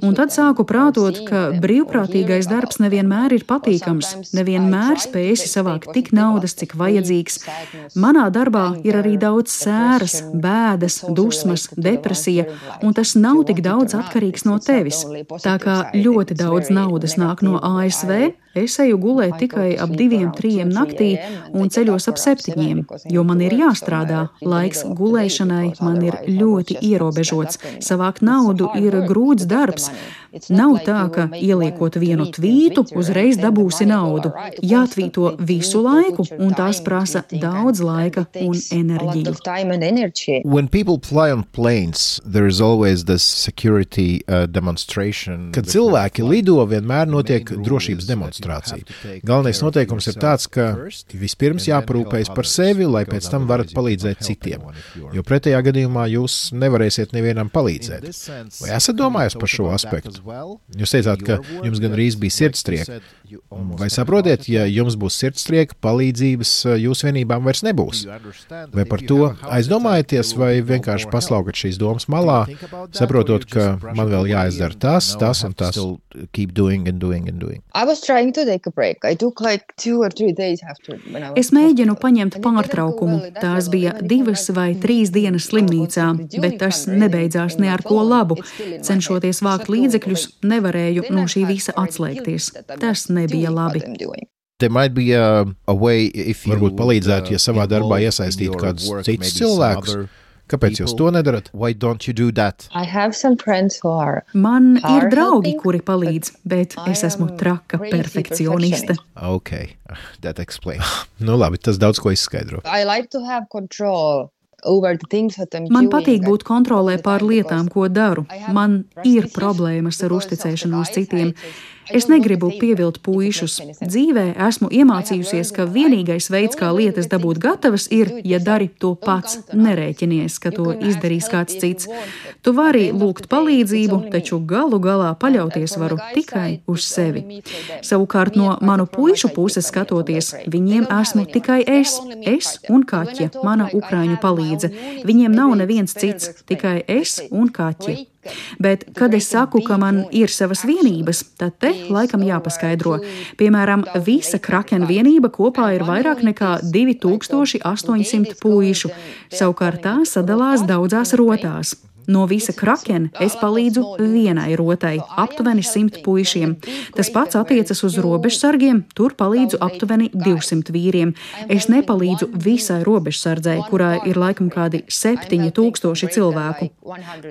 Un tad sāku prātot, ka brīvprātīgais darbs nevienmēr ir patīkams, nevienmēr spēsi savākt tik naudas, cik vajadzīgs. Manā darbā ir arī daudz sēras, bēdas, dusmas, depresija, un tas nav tik daudz atkarīgs no tevis. Tā kā ļoti daudz naudas nāk no ASV, es eju gulēt tikai ap 2-3 naktī un ceļos ap 7, jo man ir jāstrādā. Laiks gulēšanai man ir ļoti ierobežots. Savākt naudu ir grūts darbs. Nav tā, ka ieliekot vienu tvītu, uzreiz dabūsi naudu. Jātvīto visu laiku, un tās prasa daudz laika un enerģiju. When people fly on planes, there is always this security demonstration. Kad cilvēki lido, vienmēr notiek drošības demonstrācija. Galvenais noteikums ir tāds, ka vispirms jāparūpējas par sevi, lai pēc tam varat palīdzēt citiem. Jo pretējā gadījumā jūs nevarēsiet nevienam palīdzēt. Vai esat domājis par šo aspektu? Jūs teicāt, ka jums gan rīz bija sirdstrieka. Vai saprotiet, ja jums būs sirdstrieka, palīdzības jūsu vienībām vairs nebūs? Vai par to aizdomājaties, vai vienkārši paslaukat šīs domas malā, saprotot, ka man vēl jāizdara tas un tas? Keep doing and doing and doing. I was trying to take a break. I took like 2 or 3 days after when I was... Es mēģinu paņemt pārtraukumu. Tās bija 2 vai 3 dienas slimnīcā, bet tas nebeidzās ne ar ko labu. Cenšoties vākt līdzekļus, nevarēju no šī visa atslēgties. Tas nebija labi. There might be a way, if you varbūt palīdzētu, ja savā darbā iesaistītu kādus citus cilvēkus. Kāpēc jūs to nedarat? Why don't you do that? I have some friends who are... Man ir draugi, kuri palīdz, bet es esmu traka perfekcioniste. Okay, that explains. Nu labi, tas daudz ko izskaidro. I like to have control over the things that I'm Man doing. patīk būt kontrolē pār lietām, ko daru. Man ir problēmas ar uzticēšanos citiem. Es negribu pievilt puišus. Dzīvē esmu iemācījusies, ka vienīgais veids, kā lietas dabūt gatavas, ir, ja dari to pats, nerēķinies, ka to izdarīs kāds cits. Tu vari lūgt palīdzību, taču galu galā paļauties varu tikai uz sevi. Savukārt no manu puišu puses skatoties, viņiem esmu tikai es un kaķe, mana ukraiņu palīdze. Viņiem nav neviens cits, tikai es un kaķe. Bet, kad es saku, ka man ir savas vienības, tad te laikam jāpaskaidro. Piemēram, visa Krakena vienība kopā ir vairāk nekā 2800 puišu. Savukārt tā sadalās daudzās rotās. No visa Krakena es palīdzu vienai rotai, aptuveni 100 puišiem. Tas pats attiecas uz robežsargiem, tur palīdzu aptuveni 200 vīriem. Es nepalīdzu visai robežsardzei, kurā ir laikam kādi 7000 cilvēku.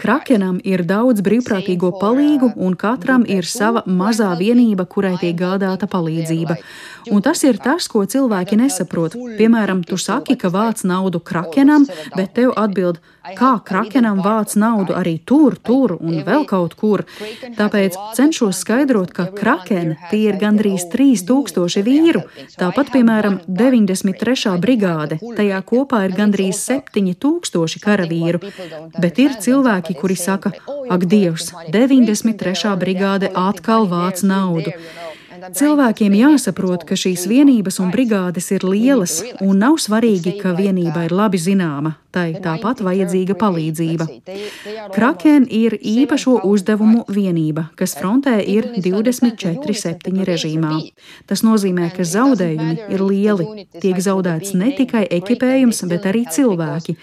Krakenam ir daudz brīvprātīgo palīgu, un katram ir sava mazā vienība, kurai tiek gādāta palīdzība. Un tas ir tas, ko cilvēki nesaprot. Piemēram, tu saki, ka vāc naudu Krakenam, bet tev atbild, kā Krakenam vāc naudu arī tur un vēl kaut kur. Tāpēc cenšos skaidrot, ka Kraken tie ir gandrīz 3000 vīru. Tāpat, piemēram, 93. brigāde, tajā kopā ir gandrīz 7000 karavīru. Bet ir cilvēki, kuri saka, ak Dievs, 93. brigāde atkal vāc naudu. Cilvēkiem jāsaprot, ka šīs vienības un brigādes ir lielas, un nav svarīgi, ka vienība ir labi zināma, tai tāpat vajadzīga palīdzība. Kraken ir īpašo uzdevumu vienība, kas frontē ir 24/7 režīmā. Tas nozīmē, ka zaudējumi ir lieli. Tiek zaudēts ne tikai ekipējums, bet arī cilvēki.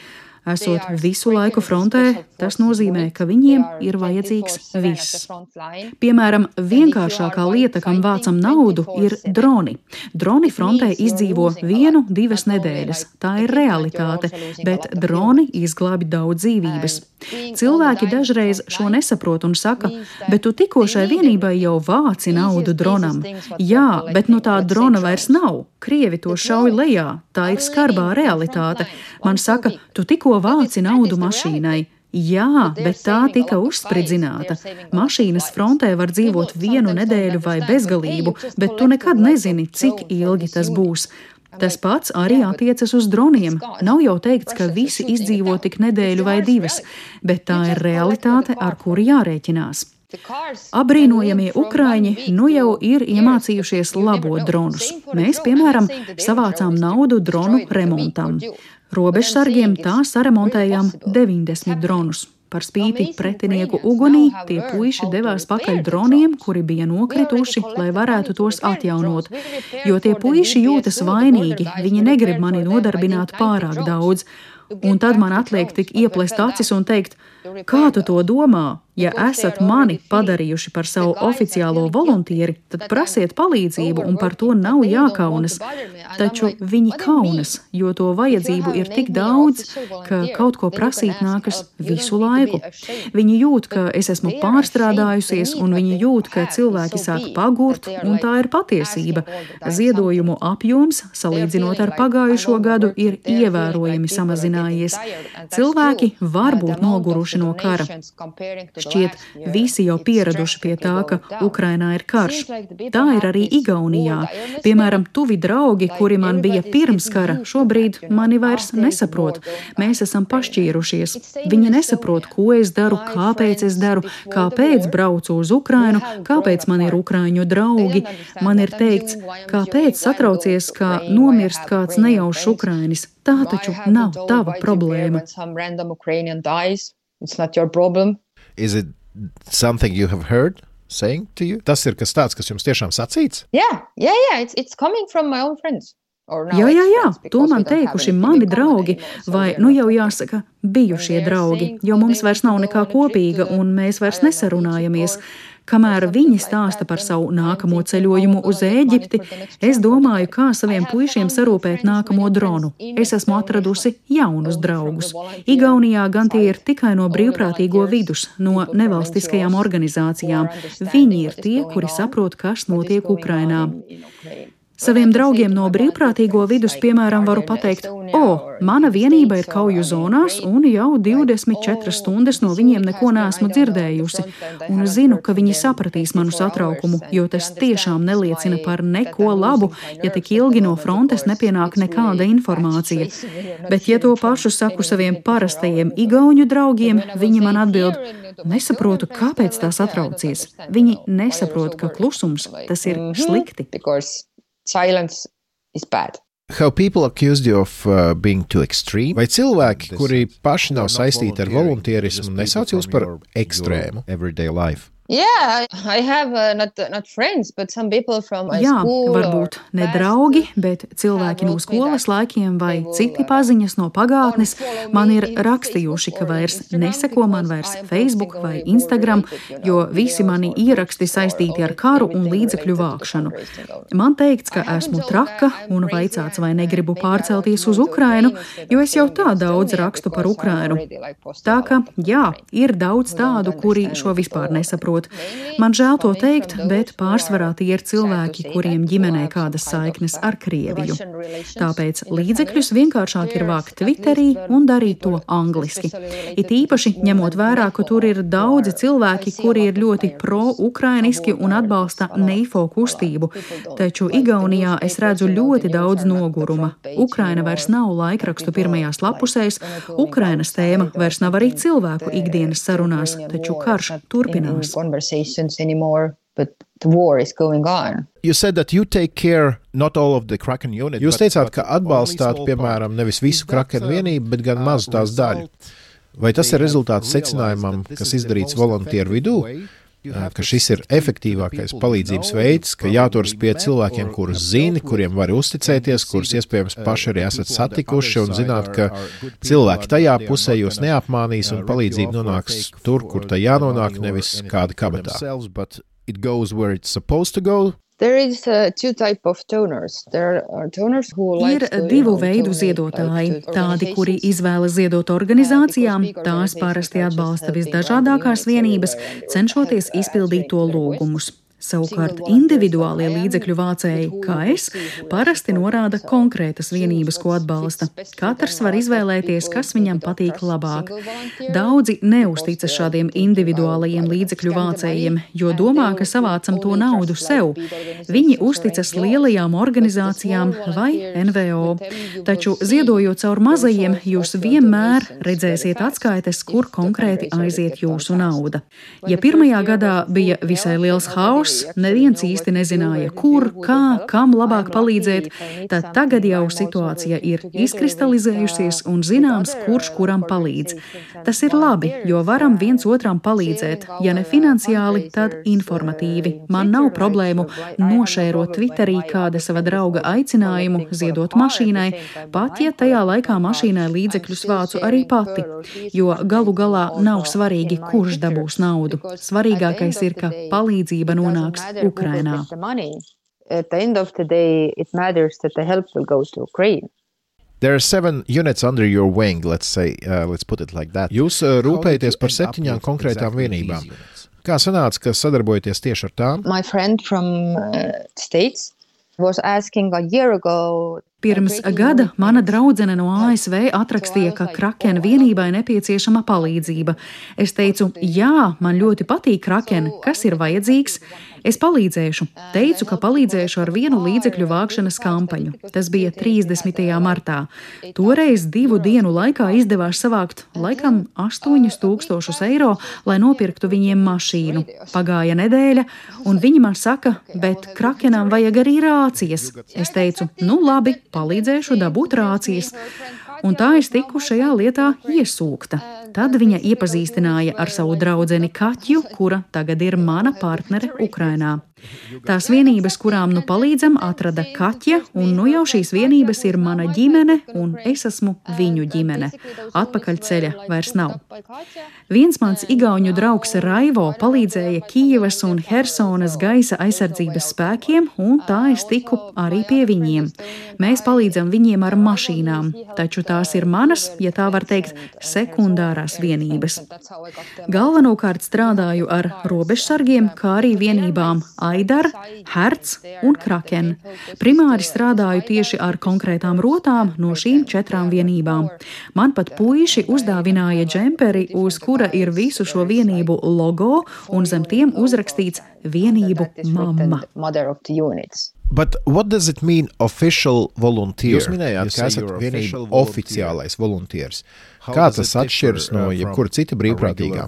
Esot visu laiku frontē, tas nozīmē, ka viņiem ir vajadzīgs viss. Piemēram, vienkāršākā lieta, kam vācam naudu, ir droni. Droni frontē izdzīvo 1-2 nedēļas. Tā ir realitāte, bet droni izglābi daudz dzīvības. Cilvēki dažreiz šo nesaprot un saka, bet tu tikko šai vienībai jau vāci naudu dronam. Jā, bet nu tā drona vairs nav. Krievi to šauj lejā. Tā ir skarbā realitāte. Man saka, tu tikko vāci naudu mašīnai. Jā, bet tā tika uzspridzināta. Mašīnas frontē var dzīvot 1 nedēļu vai bezgalību, bet tu nekad nezini, cik ilgi tas būs. Tas pats arī attiecas uz droniem. Nav jau teikts, ka visi izdzīvo tik nedēļu vai 2, bet tā ir realitāte, ar kuru jārēķinās. Apbrīnojamie ukraiņi nu jau ir iemācījušies labot dronus. Mēs, piemēram, savācām naudu dronu remontam. Robežsargiem tā saremontējām 90 dronus. Par spīti pretinieku ugunī tie puiši devās pakaļ droniem, kuri bija nokrituši, lai varētu tos atjaunot. Jo tie puiši jūtas vainīgi, viņi negrib mani nodarbināt pārāk daudz. Un tad man atliek tik ieplest acis un teikt, kā tu to domā? Ja esat mani padarījuši par savu oficiālo voluntieri, tad prasiet palīdzību un par to nav jākaunas. Taču viņi kaunas, jo to vajadzību ir tik daudz, ka kaut ko prasīt nākas visu laiku. Viņi jūt, ka es esmu pārstrādājusies, un viņi jūt, ka cilvēki sāk pagurt, un tā ir patiesība. Ziedojumu apjoms, salīdzinot ar pagājušo gadu, ir ievērojami samazinājies. Cilvēki var būt noguruši no kara. Šķiet, visi jau pieraduši pie tā, ka Ukrainā ir karš. Tā ir arī Igaunijā. Piemēram, tuvi draugi, kuri man bija pirms kara, šobrīd mani vairs nesaprot. Mēs esam pašķīrušies. Viņi nesaprot, ko es daru, kāpēc es daru, kāpēc braucu uz Ukrainu, kāpēc man ir ukraiņu draugi. Man ir teikts, kāpēc satraucies, kā nomirst kāds nejaušs ukrainis. Tā taču nav tava problēma. It's not your problem. Is it something you have heard saying to you? Tas ir kas tāds, kas jums tiešām sacīts? Yeah. It's coming from my own friends. Jā, to man teikuši mani draugi, vai, nu jau jāsaka, bijušie draugi, jo mums vairs nav nekā kopīga un mēs vairs nesarunājamies. Kamēr viņi stāsta par savu nākamo ceļojumu uz Ēģipti, es domāju, kā saviem puišiem sarūpēt nākamo dronu. Es esmu atradusi jaunus draugus. Igaunijā gan tie ir tikai no brīvprātīgo vidus, no nevalstiskajām organizācijām. Viņi ir tie, kuri saprot, kas notiek Ukrainā. Saviem draugiem no brīvprātīgo vidus, piemēram, varu pateikt, mana vienība ir kauju zonās un jau 24 stundas no viņiem neko neesmu dzirdējusi. Un zinu, ka viņi sapratīs manu satraukumu, jo tas tiešām neliecina par neko labu, ja tik ilgi no frontes nepienāk nekāda informācija. Bet, ja to pašu saku saviem parastajiem igauņu draugiem, viņi man atbild, nesaprotu, kāpēc tā satraucies. Viņi nesaprot, ka klusums tas ir slikti. Silence is bad. How people accused you of being too extreme? Vai cilvēki, kuri paši nav saistīti ar voluntierismu, nesauc jūs par ekstrēmu everyday life? Yeah, I have not friends, but some people from my Jā, school. varbūt ne draugi, bet cilvēki no skolas laikiem vai citi paziņas no pagātnes man ir rakstījuši, ka vairs neseko man vairs Facebook vai Instagram, jo visi mani ieraksti saistīti ar karu un līdzekļu vākšanu. Man teikts, ka esmu traka un vaicāts, vai negribu pārcelties uz Ukrainu, jo es jau tā daudz rakstu par Ukrainu. Tā ka, jā, ir daudz tādu, kuri šo vispār nesaprot. Man žēl to teikt, bet pārsvarā tie ir cilvēki, kuriem ģimenē kādas saiknes ar Krieviju. Tāpēc līdzekļus vienkāršāk ir vākt Twitterī un darīt to angliski. It īpaši ņemot vērā, ka tur ir daudzi cilvēki, kuri ir ļoti pro-ukrainiski un atbalsta neifo kustību. Taču Igaunijā es redzu ļoti daudz noguruma. Ukraina vairs nav laikrakstu pirmajās lapusēs, Ukrainas tēma vairs nav arī cilvēku ikdienas sarunās, taču karš turpinās. Anymore, but the war is going on. You said that you take care not all of the Kraken unit. Jūs teicāt, ka atbalstāt, piemēram, nevis visu Kraken vienību, bet gan mazu tās daļu. Vai tas ir rezultāts secinājumam, kas izdarīts volunteeru vidū, ka šis ir efektīvākais palīdzības veids, ka jāturas pie cilvēkiem, kurus zini, kuriem var uzticēties, kurus iespējams paši arī esat satikuši un zināt, ka cilvēki tajā pusē jūs neapmānīs un palīdzība nonāks tur, kur tai jānonāk, nevis kāda kabatā. There is two type of donors. There are donors who like Ir divu veidu ziedotāji. Tādi, kuri izvēlas ziedot organizācijām, tās parasti atbalsta visdažādākās vienības, cenšoties izpildīt to lūgumus. Savukārt individuālie līdzekļu vācēji, kā es, parasti norāda konkrētas vienības, ko atbalsta. Katrs var izvēlēties, kas viņam patīk labāk. Daudzi neuzticas šādiem individuālajiem līdzekļu vācējiem, jo domā, ka savācam to naudu sev. Viņi uzticas lielajām organizācijām vai NVO. Taču ziedojot caur mazajiem, jūs vienmēr redzēsiet atskaites, kur konkrēti aiziet jūsu nauda. Ja pirmajā gadā bija visai liels hauss, neviens īsti nezināja, kur, kā, kam labāk palīdzēt, tad tagad jau situācija ir izkristalizējusies un zināms, kurš kuram palīdz. Tas ir labi, jo varam viens otram palīdzēt, ja ne finansiāli, tad informatīvi. Man nav problēmu nošērot Twitterī kāda sava drauga aicinājumu ziedot mašīnai, pat ja tajā laikā mašīnai līdzekļus vācu arī pati, jo galu galā nav svarīgi, kurš dabūs naudu. Svarīgākais ir, ka palīdzība nonāks Ukrainā. At the end of the day, it matters that the help will go to Ukraine. There are 7 units under your wing, let's put it like that. Jūs rūpējaties par 7 konkrētām vienībām. Kā sanāca, ka sadarbojaties tieši ar tām? My friend from States was asking a year ago. Pirms gada mana draudzene no ASV atrakstīja, ka Kraken vienībai nepieciešama palīdzība. Es teicu, jā, man ļoti patīk Kraken, kas ir vajadzīgs? Es palīdzēšu. Teicu, ka palīdzēšu ar vienu līdzekļu vākšanas kampaņu. Tas bija 30. martā. Toreiz 2 dienu laikā izdevās savākt laikam 8,000 eiro, lai nopirktu viņiem mašīnu. Pagāja nedēļa, un viņi man saka, bet Krakenam vajag arī rācijas. Es teicu, nu labi, palīdzēšu dabūt rācijas. Un tā es tiku šajā lietā iesūkta. Tad viņa iepazīstināja ar savu draudzeni Kaķu, kura tagad ir mana partnere Ukrainā. Tās vienības, kurām nu palīdzam, atrada Kaķa, un nu jau šīs vienības ir mana ģimene, un es esmu viņu ģimene. Atpakaļ ceļa vairs nav. Viens mans igauņu draugs Raivo palīdzēja Kijevas un Hersonas gaisa aizsardzības spēkiem, un tā es tiku arī pie viņiem. Mēs palīdzam viņiem ar mašīnām, taču tās ir manas, ja tā var teikt, sekundārās vienības. Galvenokārt strādāju ar robežsargiem, kā arī vienībām Aidar, Herts un Kraken. Primāri strādāju tieši ar konkrētām rotām no šīm 4 vienībām. Man pat puiši uzdāvināja džemperi, uz kura ir visu šo vienību logo un zem tiem uzrakstīts vienību mamma. But what does it mean official volunteer? Jūs minējāt, ka esat vienība oficiālais volunteers. Kā tas atšķiras no jebkura cita brīvprātīgā?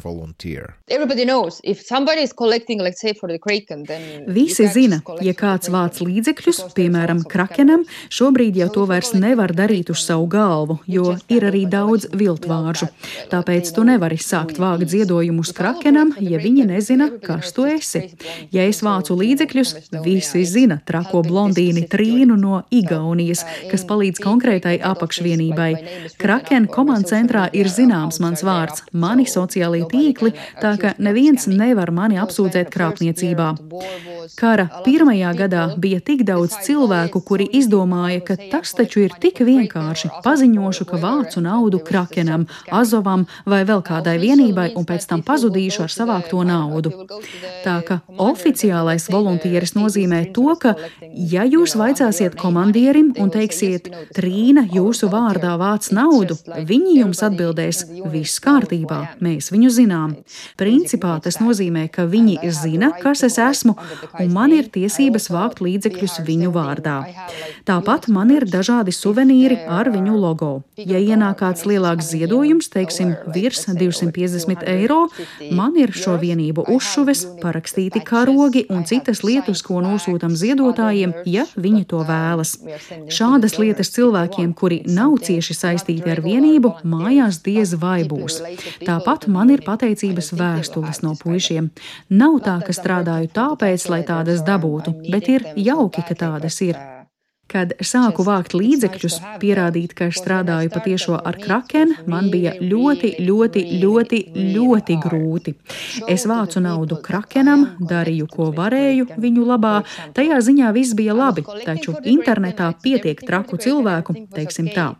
Visi zina, ja kāds vāc līdzekļus, piemēram, krakenam, šobrīd jau to vairs nevar darīt uz savu galvu, jo ir arī daudz viltvāržu. Tāpēc tu nevari sākt vākt ziedojumus krakenam, ja viņi nezina, kas tu esi. Ja es vācu līdzekļus, visi zina trako blondīni Trīnu no Igaunijas, kas palīdz konkrētai apakšvienībai. Kraken komandcentrā ir zināms mans vārds, mani sociālie tīkli, tā ka neviens nevar mani apsūdzēt krāpniecībā. Kara pirmajā gadā bija tik daudz cilvēku, kuri izdomāja, ka tas taču ir tik vienkārši. Paziņošu, ka vācu naudu krakenam, Azovam vai vēl kādai vienībai un pēc tam pazudīšu ar savākto naudu. Tā ka oficiālais volontieris nozīmē to, ka, ja jūs vaicāsiet komandierim un teiksiet, Trīna jūsu vārdā vāc naudu, viņi jums atbildēs, viss kārtībā, mēs viņu zinām. Principā tas nozīmē, ka viņi zina, kas es esmu, un man ir tiesības vākt līdzekļus viņu vārdā. Tāpat man ir dažādi suvenīri ar viņu logo. Ja ienāk kāds lielāks ziedojums, teiksim, virs 250 eiro, man ir šo vienību uzšuves, parakstīti karogi un citas lietas, ko nosūtam ziedotājiem, ja viņi to vēlas. Šādas lietas cilvēkiem, kuri nav cieši saistīti ar vienību, mājās diez vai būs. Tāpat man ir pateicības vēstules no puišiem. Nav tā, ka strādāju tāpēc, lai tādas dabūtu, bet ir jauki, ka tādas ir. Kad sāku vākt līdzekļus, pierādīt, ka es strādāju patiešo ar kraken, man bija ļoti grūti. Es vācu naudu krakenam, darīju, ko varēju viņu labā, tajā ziņā viss bija labi, taču internetā pietiek traku cilvēku, teiksim tā.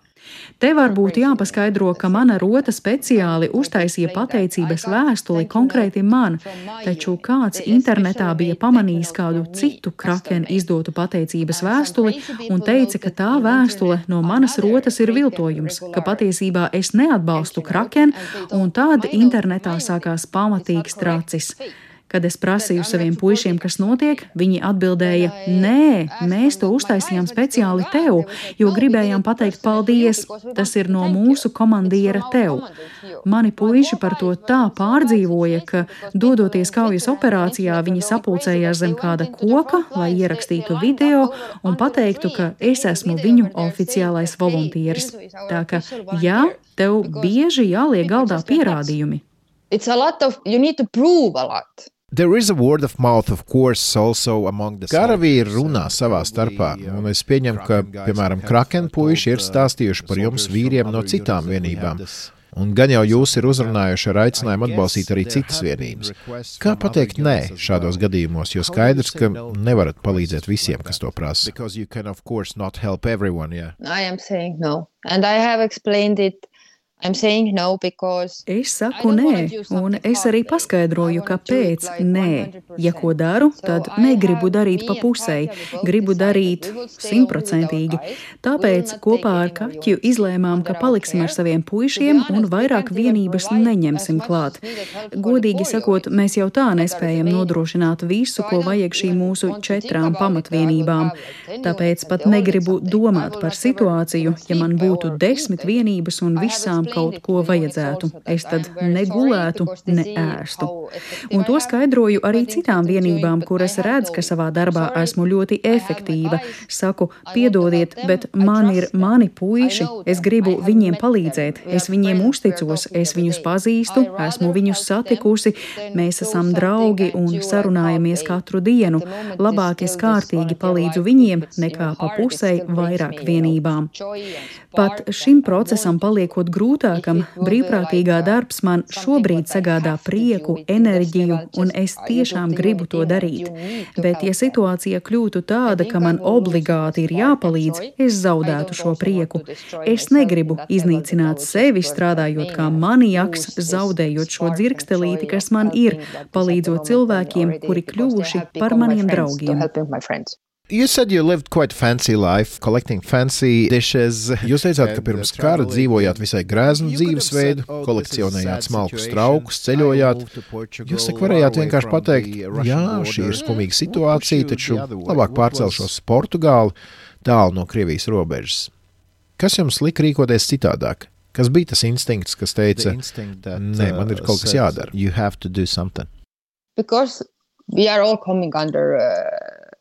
Te varbūt jāpaskaidro, ka mana rota speciāli uztaisīja pateicības vēstuli konkrēti man, taču kāds internetā bija pamanījis kādu citu kraken izdotu pateicības vēstuli un teica, ka tā vēstule no manas rotas ir viltojums, ka patiesībā es neatbalstu kraken, un tad internetā sākās pamatīgs tracis. Kad es prasīju saviem puišiem, kas notiek, viņi atbildēja, nē, mēs to uztaisījām speciāli tev, jo gribējām pateikt paldies, tas ir no mūsu komandiera tev. Mani puiši par to tā pārdzīvoja, ka, dodoties kaujas operācijā, viņi sapulcējās zem kāda koka, lai ierakstītu video un pateiktu, ka es esmu viņu oficiālais volontieris. Tā ka, jā, tev bieži jāliek galdā pierādījumi. You need to prove a lot. There is a word of mouth, of course, also among the karavīri runā savā starpā, un es pieņemu, ka, piemēram, kraken puiši ir stāstījuši par jums vīriem no citām vienībām. Un gan jau jūs ir uzrunājuši ar aicinājumu atbalstīt arī citas vienības. Kā pateikt nē šādos gadījumos, jo skaidrs, ka nevarat palīdzēt visiem, kas to prasa? I am saying no, and I have explained it. Es saku nē, un es arī paskaidroju, kāpēc nē. Ja ko daru, tad negribu darīt pa pusei, gribu darīt 100%. Tāpēc kopā ar Kaķu izlēmām, ka paliksim ar saviem puišiem un vairāk vienības neņemsim klāt. Godīgi sakot, mēs jau tā nespējam nodrošināt visu, ko vajag šīm mūsu 4 pamatvienībām. Tāpēc pat negribu domāt par situāciju, ja man būtu 10 vienības un visām kaut ko vajadzētu. Es tad negulētu, ne ēstu. Un to skaidroju arī citām vienībām, kuras redz, ka savā darbā esmu ļoti efektīva. Saku, piedodiet, bet man ir mani puiši, es gribu viņiem palīdzēt, es viņiem uzticos, es viņus pazīstu, esmu viņus satikusi, mēs esam draugi un sarunājamies katru dienu. Labāk es kārtīgi palīdzu viņiem, nekā pa pusei vairāk vienībām. Pat šim procesam paliekot grūtākam, brīvprātīgā darbs man šobrīd sagādā prieku, enerģiju, un es tiešām gribu to darīt. Bet, ja situācija kļūtu tāda, ka man obligāti ir jāpalīdz, es zaudētu šo prieku. Es negribu iznīcināt sevi, strādājot kā maniaks, zaudējot šo dzirkstelīti, kas man ir, palīdzot cilvēkiem, kuri kļuvuši par maniem draugiem. You said you lived quite fancy life, collecting fancy dishes. Jūs teicāt, ka pirms kara dzīvojāt visai grēznu dzīvesveidu, kolekcionējāt smalkus traukus, ceļojāt. Jūs varējāt vienkārši pateikt, jā, šī ir skumīga situācija, taču labāk pārcelšos uz Portugāli, tālu no Krievijas robežas. Kas jums lika rīkoties citādāk? Kas bija tas instinkts, kas teica, nē, man ir kaut kas jādara. You have to do something. Because we are all coming under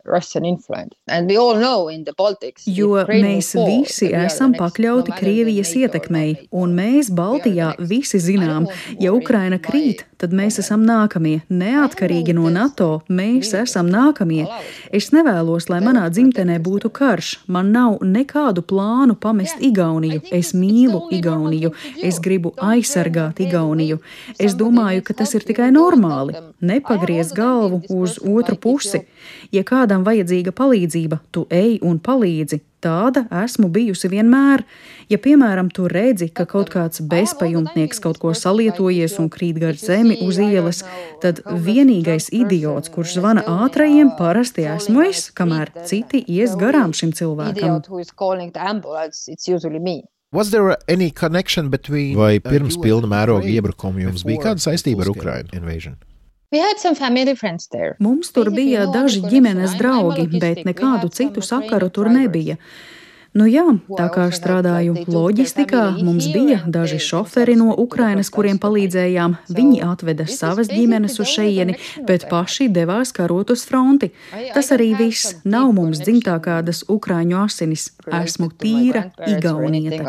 Russian influence. And we all know in the Baltics. Jo mēs visi esam pakļauti Krievijas ietekmei, un mēs Baltijā visi zinām, ja Ukraina krīt, tad mēs esam nākamie. Neatkarīgi no NATO, mēs esam nākamie. Es nevēlos, lai manā dzimtenē būtu karš. Man nav nekādu plānu pamest Igauniju. Es mīlu Igauniju. Es gribu aizsargāt Igauniju. Es domāju, ka tas ir tikai normāli. Nepagriez galvu uz otru pusi. Ja kādam vajadzīga palīdzība, tu ej un palīdzi. Tāda esmu bijusi vienmēr. Ja, piemēram, tu redzi, ka kaut kāds bezpajumtnieks kaut ko salietojies un krīt gar zemi uz ielas, tad vienīgais idiots, kurš zvana ātrajiem, parasti esmu es, kamēr citi ies garām šim cilvēkam. Vai pirms pilna mēroga iebrukuma jums bija kāda saistība ar Ukrainu invasion? Mums tur bija daži ģimenes draugi, bet nekādu citu sakaru tur nebija. Nu jā, tā kā strādāju loģistikā, mums bija daži šoferi no Ukrainas, kuriem palīdzējām. Viņi atveda savas ģimenes uz šeieni, bet paši devās karot uz fronti. Tas arī viss. Nav mums dzimtā kādas ukraiņu asinis. Esmu tīra igauniete.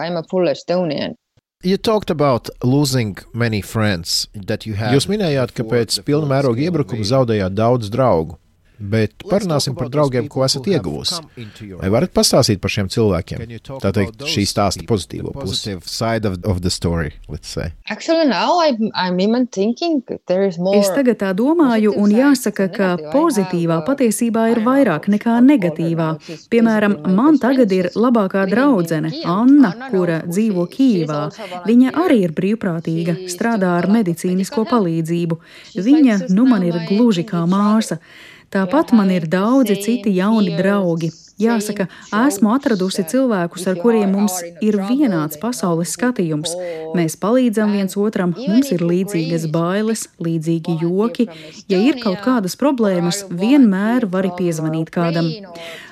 You talked about losing many friends that you had. Jūs minējāt, ka pēc pilna mēroga iebrukuma zaudējāt daudz draugu, bet parunāsim par draugiem, ko esat ieguvusi. Vai varat pastāstīt par šiem cilvēkiem? Tā teikt, šī stāsta pozitīvo pusi. Side of the story, let's say. Actually, now I'm even thinking there is more. Es tagad tā domāju, un jāsaka, ka pozitīvā patiesībā ir vairāk nekā negatīvā. Piemēram, man tagad ir labākā draudzene, Anna, kura dzīvo Kijivā. Viņa arī ir brīvprātīga, strādā ar medicīnisko palīdzību. Viņa, man ir gluži kā māsa. Tāpat man ir daudzi citi jauni draugi. Jāsaka, esmu atradusi cilvēkus, ar kuriem mums ir vienāds pasaules skatījums. Mēs palīdzam viens otram, mums ir līdzīgas bailes, līdzīgi joki. Ja ir kaut kādas problēmas, vienmēr vari piezvanīt kādam.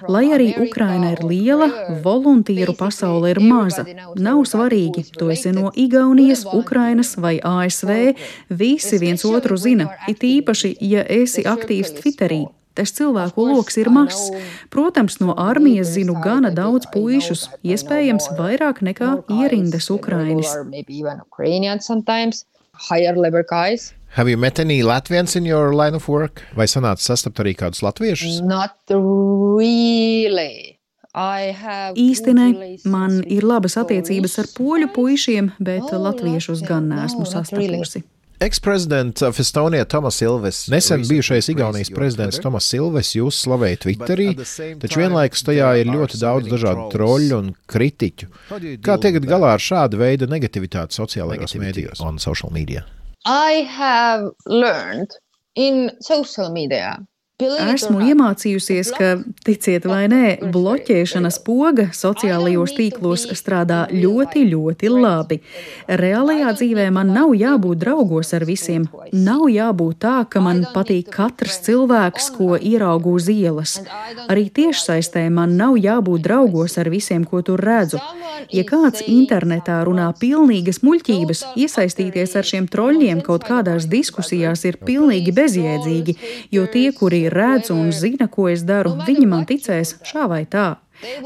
Lai arī Ukraina ir liela, voluntīru pasaule ir maza. Nav svarīgi, tu esi no Igaunijas, Ukrainas vai ASV, visi viens otru zina, it īpaši, ja esi aktīvs Twitterī. Tas cilvēku loks ir mazs. Protams, no armijas zinu gana daudz puišus, iespējams vairāk nekā ierindas Ukrainis. Have you met any Latvians in your line of work? Vai sanāca sastapt arī kādus latviešus? Not really. Īsti ne. Man ir labas attiecības ar poļu puišiem, bet latviešus gan neesmu sastapusi. Ex-prezidents of Estonia Tomas Ilves, nesen bijušais Igaunijas prezidents Tomas Ilves, jūs slavēja Twitterī, taču vienlaikus tajā ir ļoti daudz dažādu troļu un kritiķu. Kā tiekat galā ar šādu veidu negativitāti sociālajos mēdījos on social media? I have learned in social media. Esmu iemācījusies, ka, ticiet vai nē, bloķēšanas poga sociālajos tīklos strādā ļoti, ļoti labi. Reālajā dzīvē man nav jābūt draugos ar visiem. Nav jābūt tā, ka man patīk katrs cilvēks, ko ieraugu uz ielas. Arī tiešsaistē man nav jābūt draugos ar visiem, ko tur redzu. Ja kāds internetā runā pilnīgas muļķības, iesaistīties ar šiem troļļiem kaut kādās diskusijās ir pilnīgi bezjēdzīgi, jo tie, kuri redz un zina, ko es daru, viņi man ticēs šā vai tā.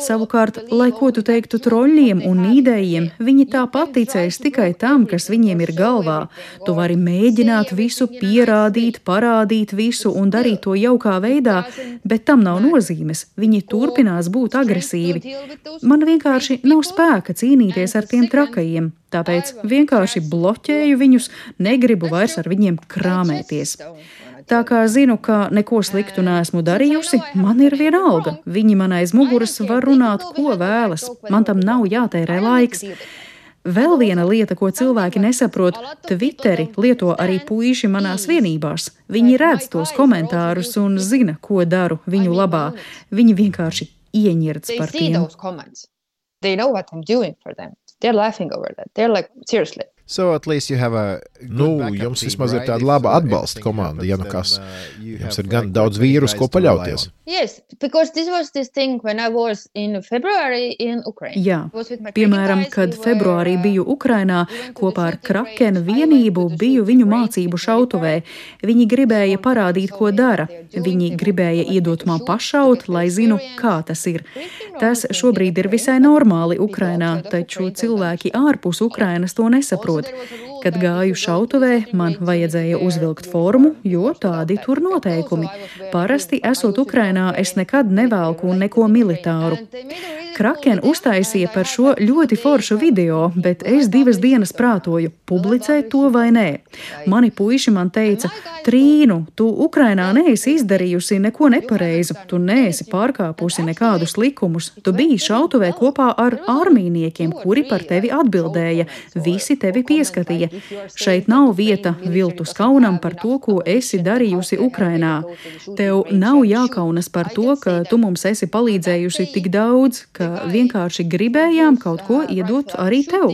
Savukārt, lai ko tu teiktu troļļiem un nīdējiem, viņi tāpat ticēs tikai tam, kas viņiem ir galvā. Tu vari mēģināt visu pierādīt, parādīt visu un darīt to jaukā veidā, bet tam nav nozīmes. Viņi turpinās būt agresīvi. Man vienkārši nav spēka cīnīties ar tiem trakajiem, tāpēc vienkārši bloķēju viņus, negribu vairs ar viņiem krāmēties. Tā kā zinu, ka neko sliktu neesmu darījusi, man ir vienalga. Viņi man aiz muguras var runāt, ko vēlas. Man tam nav jātērē laiks. Vēl viena lieta, ko cilvēki nesaprot, Twitteri lieto arī puiši manās vienībās. Viņi redz tos komentārus un zina, ko daru viņu labā. Viņi vienkārši ieņirds par tiem. They know what I'm doing for them. They're laughing over that. They're like, seriously. So at least you have a jums vismaz ir tāda laba atbalsta komanda, ja nu kas. Jums ir gan daudz vīrus, ko paļauties. Yes, because this was this thing when I was in February in Ukraine. Jā, piemēram, kad februārī biju Ukrainā, kopā ar Krakena vienību biju viņu mācību šautuvē. Viņi gribēja parādīt, ko dara. Viņi gribēja iedot man pašaut, lai zinu, kā tas ir. Tas šobrīd ir visai normāli Ukrainā, taču cilvēki ārpus Ukrainas to nesaprot. Kad gāju šautuvē, man vajadzēja uzvilkt formu, jo tādi tur noteikumi. Parasti, esot Ukrainā, es nekad nevelku neko militāru. Kraken uztaisīja par šo ļoti foršu video, bet es 2 dienas prātoju, publicēt to vai nē. Mani puiši man teica, Trīnu, tu Ukrainā neesi izdarījusi neko nepareizu, tu neesi pārkāpusi nekādus likumus, tu biji šautuvē kopā ar armijniekiem, kuri par tevi atbildēja, visi tevi pieskatīja. Šeit nav vieta viltus kaunam par to, ko esi darījusi Ukrainā. Tev nav jākaunas par to, ka tu mums esi palīdzējusi tik daudz, ka vienkārši gribējām kaut ko iedot arī tev.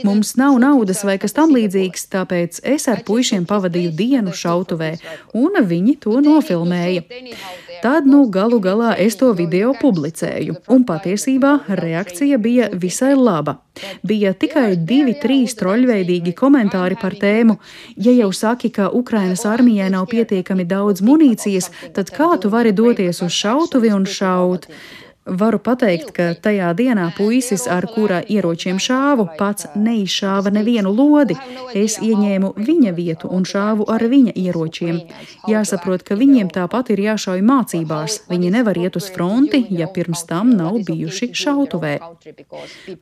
Mums nav naudas vai kas tam līdzīgs, tāpēc es ar puišiem pavadīju dienu šautuvē, un viņi to nofilmēja. Tad, galu galā es to video publicēju, un patiesībā reakcija bija visai laba. Bija tikai 2-3 troļveidīgi komentāri par tēmu. Ja jau saki, ka Ukrainas armijai nav pietiekami daudz munīcijas, tad kā tu vari doties uz šautuvi un šaut? Varu pateikt, ka tajā dienā puisis, ar kura ieročiem šāvu, pats neizšāva nevienu lodi. Es ieņēmu viņa vietu un šāvu ar viņa ieročiem. Jāsaprot, ka viņiem tāpat ir jāšauj mācībās. Viņi nevar iet uz fronti, ja pirms tam nav bijuši šautuvē.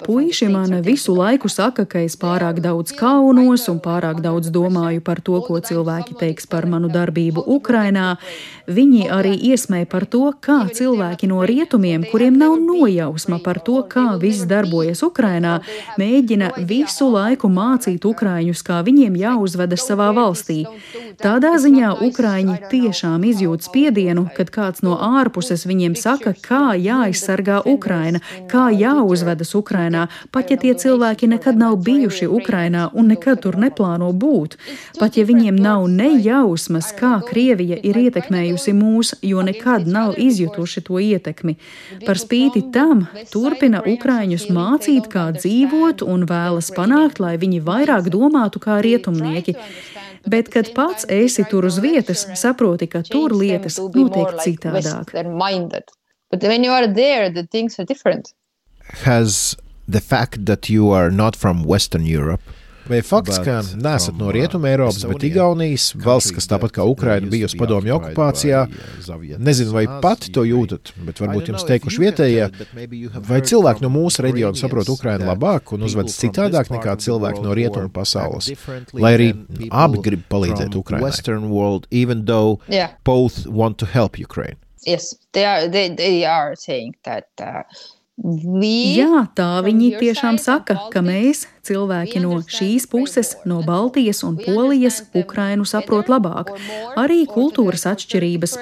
Puiši man visu laiku saka, ka es pārāk daudz kaunos un pārāk daudz domāju par to, ko cilvēki teiks par manu darbību Ukrainā. Viņi arī iesmēja par to, kā cilvēki no rietumiem, kuriem nav nojausma par to, kā viss darbojas Ukrainā, mēģina visu laiku mācīt ukraiņus, kā viņiem jāuzvedas savā valstī. Tādā ziņā ukraiņi tiešām izjūt spiedienu, kad kāds no ārpuses viņiem saka, kā jāaizsargā Ukraina, kā jāuzvedas Ukrainā, pat ja tie cilvēki nekad nav bijuši Ukrainā un nekad tur neplāno būt. Pat ja viņiem nav nejausmas, kā Krievija ir ietekmējusi mūs, jo nekad nav izjutuši to ietekmi. Par spīti tam turpina ukraiņus mācīt, kā dzīvot un vēlas panākt, lai viņi vairāk domātu kā rietumnieki. Bet, kad pats esi tur uz vietas, saproti, ka tur lietas notiek citādāk. Has the fact that you are not from Western Europe, vai fakts, ka neesat no Rietuma Eiropas, bet Igaunijas, valsts, kas tāpat kā Ukraina bijusi padomju okupācijā, nezinu, vai pati to jūtat, bet varbūt jums teikuši vietējie, vai cilvēki no mūsu reģiona saprot Ukrainu labāk un uzvedas citādāk nekā cilvēki no Rietuma pasaules, lai arī abi grib palīdzēt Ukrainai. Western world, even though both want to help Ukraine. Yes, they are saying that Jā, tā viņi tiešām saka, ka mēs, cilvēki no šīs puses, no Baltijas un Polijas, Ukrainu saprot labāk. Arī kultūras atšķirības.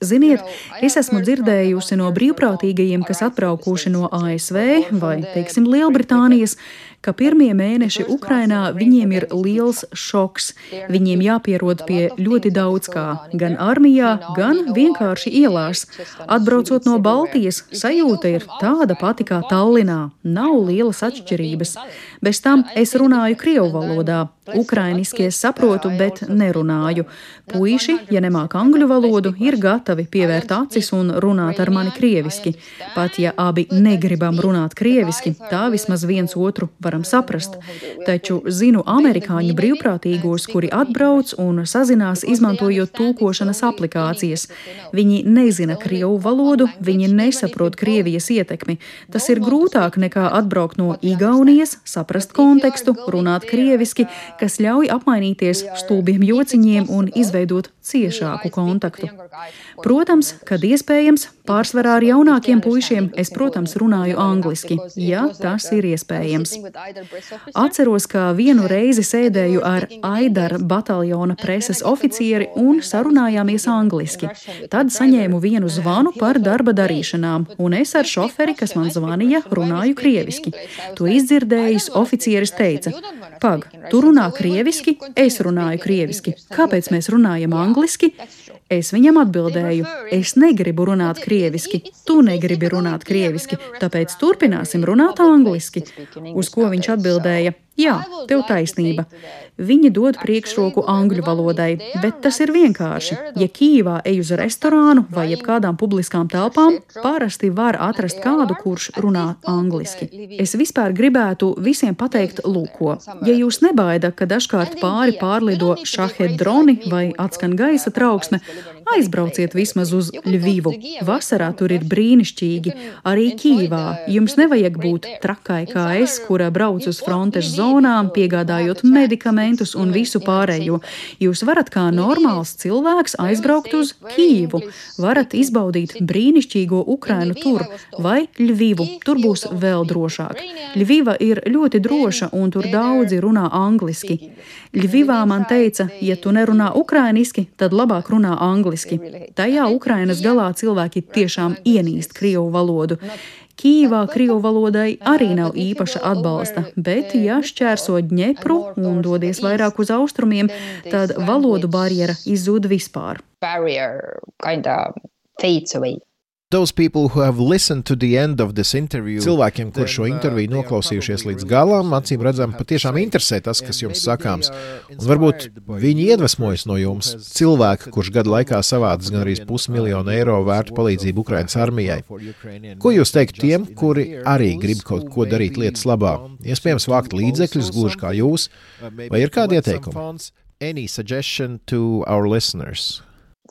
Ziniet, es esmu dzirdējusi no brīvprātīgajiem, kas atbraukuši no ASV vai, teiksim, Lielbritānijas, ka pirmie mēneši Ukrainā viņiem ir liels šoks. Viņiem jāpierod pie ļoti daudz kā, gan armijā, gan vienkārši ielās. Atbraucot no Baltijas, sajūta ir tāda pati kā Tallinā. Nav lielas atšķirības. Bez tam es runāju krievu valodā. Ukrainiski es saprotu, bet nerunāju. Puiši, ja nemāk angļu valodu, ir gatavi pievērt acis un runāt ar mani krieviski. Pat ja abi negribam runāt krieviski, tā vismaz viens otru varam saprast. Taču zinu amerikāņu brīvprātīgos, kuri atbrauc un sazinās izmantojot tulkošanas aplikācijas. Viņi nezina krievu valodu, viņi nesaprot Krievijas ietekmi. Tas ir grūtāk nekā atbraukt no Igaunijas, saprast kontekstu, runāt krieviski, kas ļauj apmainīties stulbiem jociņiem un izveidot ciešāku kontaktu. Protams, kad iespējams, pārsvarā ar jaunākiem puišiem es, protams, runāju angliski, ja tas ir iespējams. Atceros, ka vienu reizi sēdēju ar Aidara bataljona preses oficieri un sarunājāmies angliski. Tad saņēmu vienu zvanu par darba darīšanām, un es ar šoferi, kas man zvanīja, runāju krieviski. To izdzirdējis oficieris teica: "Pag, tu runā krieviski, es runāju krieviski. Kāpēc mēs runājam angliski?" Es viņam atbildēju, es negribu runāt krieviski, tu negribi runāt krieviski, tāpēc turpināsim runāt angliski. Uz ko viņš atbildēja, jā, tev taisnība. Viņi dod priekšroku angļu valodai, bet tas ir vienkārši. Ja Kijivā ej uz restorānu vai jebkādām publiskām telpām, parasti var atrast kādu, kurš runā angliski. Es vispār gribētu visiem pateikt lūko. Ja jūs nebaida, ka dažkārt pāri pārlido šahed droni vai atskan gaisa trauksme, aizbrauciet vismaz uz Ļvivu. Vasarā tur ir brīnišķīgi. Arī Kijivā jums nevajag būt trakai kā es, kura brauc uz frontes zonām, piegādājot medikamentus un visu pārējo. Jūs varat kā normāls cilvēks aizbraukt uz Kijivu. Varat izbaudīt brīnišķīgo Ukrainu tur vai Ļvivu. Tur būs vēl drošāk. Ļviva ir ļoti droša un tur daudzi runā angliski. Ļvivā man teica, ja tu nerunā ukrainiski, tad labāk runā angliski. Tajā Ukrainas galā cilvēki tiešām ienīst krievu valodu. Kijivā krievu valodai arī nav īpaša atbalsta, bet ja šķērso Dņepru un dodies vairāk uz austrumiem, tad valodu barjera izzūd vispār. Those people who have listened to the end of this interview, cilvēkiem, kur šo interviju noklausījušies līdz galam, acīm redzam, patiešām interesē tas, kas jums sakāms. Un varbūt viņi iedvesmojas no jums, cilvēki, kurš gadu laikā savādas gan arī $500,000 eiro vērtu palīdzību Ukrainas armijai. Ko jūs teikt tiem, kuri arī grib kaut ko darīt lietas labā? Iespējams, vākt līdzekļus, gluži kā jūs, vai ir kādi ieteikumi? Any suggestion to our listeners?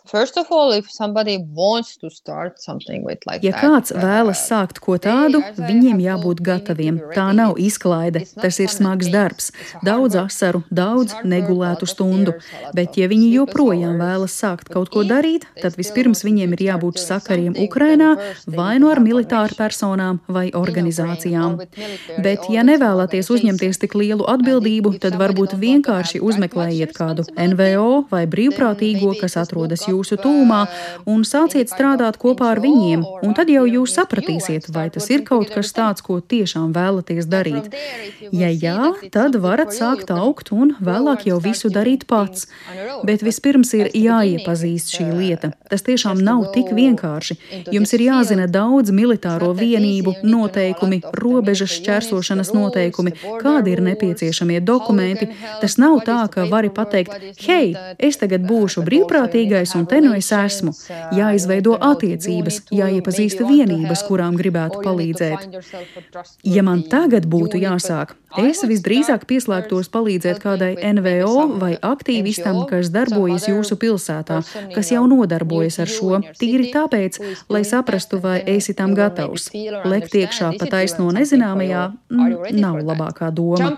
First of all, if somebody wants to start something with like Ja kāds vēlas sākt ko tādu, viņiem jābūt gataviem. Tā nav izklaide, tas ir smags darbs, daudz asaru, daudz negulētu stundu. Bet ja viņi joprojām vēlas sākt kaut ko darīt, tad vispirms viņiem ir jābūt sakariem Ukrainā vai no ar militāru personām vai organizācijām. Bet ja nevēlaties uzņemties tik lielu atbildību, tad varbūt vienkārši uzmeklējiet kādu NVO vai brīvprātīgo, kas atrodas jūsu tūmā, un sāciet strādāt kopā ar viņiem, un tad jau jūs sapratīsiet, vai tas ir kaut kas tāds, ko tiešām vēlaties darīt. Ja jā, tad varat sākt augt un vēlāk jau visu darīt pats. Bet vispirms ir jāiepazīst šī lieta. Tas tiešām nav tik vienkārši. Jums ir jāzina daudz militāro vienību, noteikumi, robežas šķērsošanas noteikumi, kādi ir nepieciešamie dokumenti. Tas nav tā, ka vari pateikt, hei, es tagad būšu brīvprātīgais un te nu es esmu. Jāizveido attiecības, jāiepazīsta vienības, kurām gribētu palīdzēt. Ja man tagad būtu jāsāk, es visdrīzāk pieslēgtos palīdzēt kādai NVO vai aktīvistam, kas darbojas jūsu pilsētā, kas jau nodarbojas ar šo, tīri tāpēc, lai saprastu, vai esi tam gatavs. Lekt iekšā pa taisno nezināmajā nav labākā doma.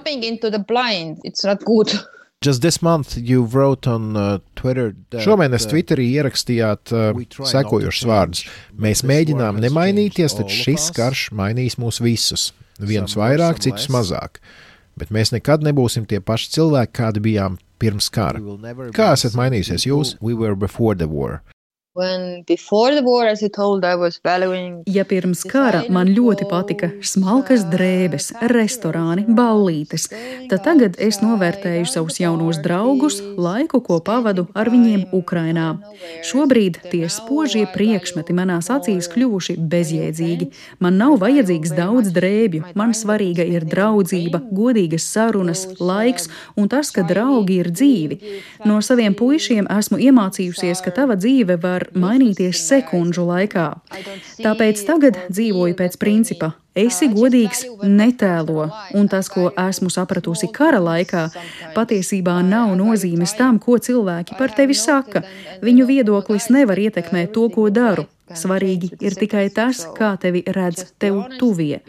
Just this month you wrote on Twitter. Šomēnes Twitterī ierakstījāt sekojošus vārdus. Mēs mēģinām nemainīties, taču šis karš mainīs mūs visus. Vienus vairāk, citus mazāk. Bet mēs nekad nebūsim tie paši cilvēki, kādi bijām pirms kara. Kā esat mainījusies jūs? We were before the war. Ja pirms kara man ļoti patika smalkas drēbes, restorāni, ballītes, tad tagad es novērtēju savus jaunos draugus, laiku, ko pavadu ar viņiem Ukrainā. Šobrīd tie spožie priekšmeti manās acīs kļuvuši bezjēdzīgi. Man nav vajadzīgs daudz drēbju, man svarīga ir draudzība, godīgas sarunas, laiks un tas, ka draugi ir dzīvi. No saviem puišiem esmu iemācījusies, ka tava dzīve var mainīties sekundžu laikā. Tāpēc tagad dzīvoju pēc principa. Esi godīgs, netēlo, un tas, ko esmu sapratusi kara laikā, patiesībā nav nozīmes tam, ko cilvēki par tevi saka. Viņu viedoklis nevar ietekmēt to, ko daru. Svarīgi ir tikai tas, kā tevi redz tev tuvie.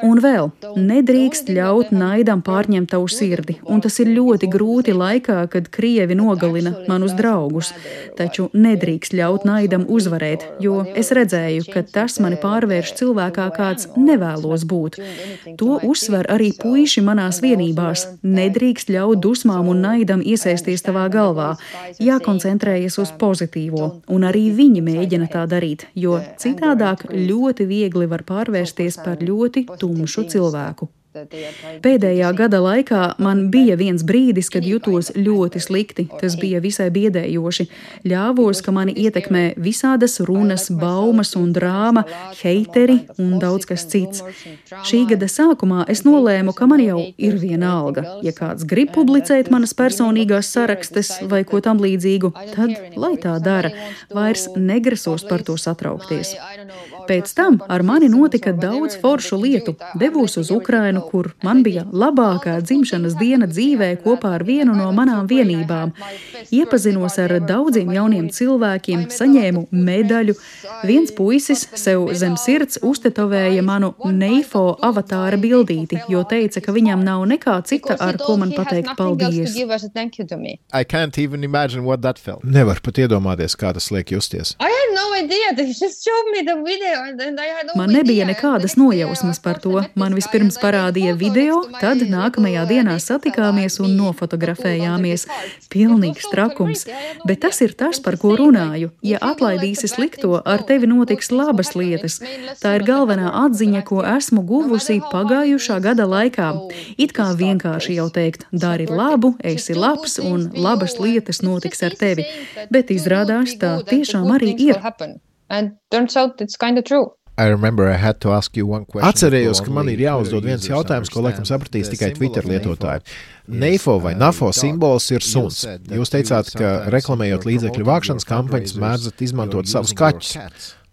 Un vēl, nedrīkst ļaut naidam pārņemt tavu sirdi, un tas ir ļoti grūti laikā, kad Krievi nogalina manus draugus. Taču nedrīkst ļaut naidam uzvarēt, jo es redzēju, ka tas mani pārvērš cilvēkā, kāds nevēlos būt. To uzsver arī puiši manās vienībās. Nedrīkst ļaut dusmām un naidam iesaisties tavā galvā. Jākoncentrējas uz pozitīvo, un arī viņi mēģina tā darīt, jo citādāk ļoti viegli var pārvērsties par ļoti tumšu cilvēku. Pēdējā gada laikā man bija viens brīdis, kad jutos ļoti slikti. Tas bija visai biedējoši. Ļāvos, ka mani ietekmē visādas runas, baumas un drāma, heiteri un daudz kas cits. Šī gada sākumā es nolēmu, ka man jau ir viena alga. Ja kāds grib publicēt manas personīgās sarakstes vai ko tam līdzīgu, tad lai tā dara. Vairs negrasos par to satraukties. Pēc tam ar mani notika daudz foršu lietu. Devos uz Ukrainu, kur man bija labākā dzimšanas diena dzīvē kopā ar vienu no manām vienībām. Iepazinos ar daudziem jauniem cilvēkiem, saņēmu medaļu. Viens puisis sev zem sirds uztetovēja manu Neifo avatāra bildīti, jo teica, ka viņam nav nekā cita, ar ko man pateikt paldies. Nevar pat iedomāties, kā tas liek justies. Man nebija nekādas nojausmas par to. Man vispirms parādīja video, tad nākamajā dienā satikāmies un nofotografējāmies. Pilnīgs trakums. Bet tas ir tas, par ko runāju. Ja atlaidīsi slikto, ar tevi notiks labas lietas. Tā ir galvenā atziņa, ko esmu guvusi pagājušā gada laikā. It kā vienkārši jau teikt, dari labu, esi labs un labas lietas notiks ar tevi. Bet izrādās, tā tiešām arī ir. Atcerējos, ka man ir jāuzdod viens jautājums, ko laikam sapratīs tikai Twitter lietotāji. Neifo vai Nafo simbols ir suns. Jūs teicāt, ka reklamējot līdzekļu vākšanas kampaņas mēdzat izmantot savus kaķus.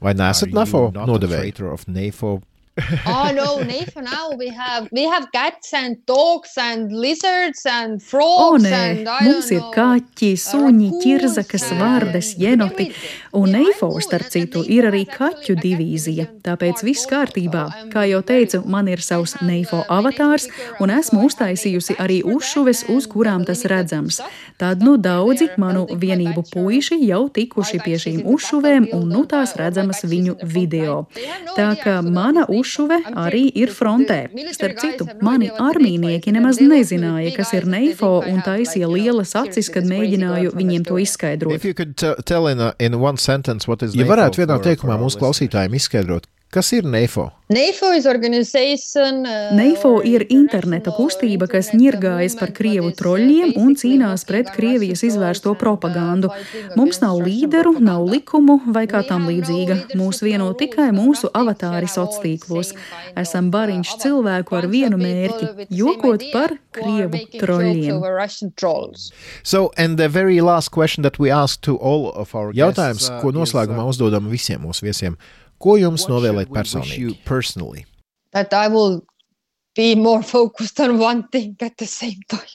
Vai nesat Nafo nodevēji? No, Neifo now we have cats and dogs and lizards and frogs. Mums ir kaķi, suņi, ķirzakas, vardes, jenoti. Un Neifo, starp citu, ir arī kaķu divīzija. Tāpēc viss kārtībā. Kā jau teicu, man ir savs Neifo avatārs un esmu uztaisījusi arī uzšuves, uz kurām tas redzams. Tad daudzi manu vienību puiši jau tikuši pie šīm uzšuvēm un tās redzamas viņu video. Tā kā mana uzšuve arī ir frontē. Starp citu, mani armīnieki nemaz nezināja, kas ir Neifo un taisīja lielas acis, kad mēģināju viņiem to izskaidrot. Ja varētu vienā teikumā mūsu klausītājiem izskaidrot, kas ir Neifo? Neifo ir interneta kustība, kas ņirgājas par Krievu troļļiem un cīnās pret Krievijas izvērsto propagandu. Mums nav līderu, nav likumu vai kā tam līdzīga. Mūs vieno tikai mūsu avatāri sociālos. Esam bariņš cilvēku ar vienu mērķi – jokot par Krievu troļļiem. Jautājums, ko noslēgumā uzdodam visiem mūsu viesiem. Ko jums novēlēt personīgi? That I will be more focused on one thing at the same time.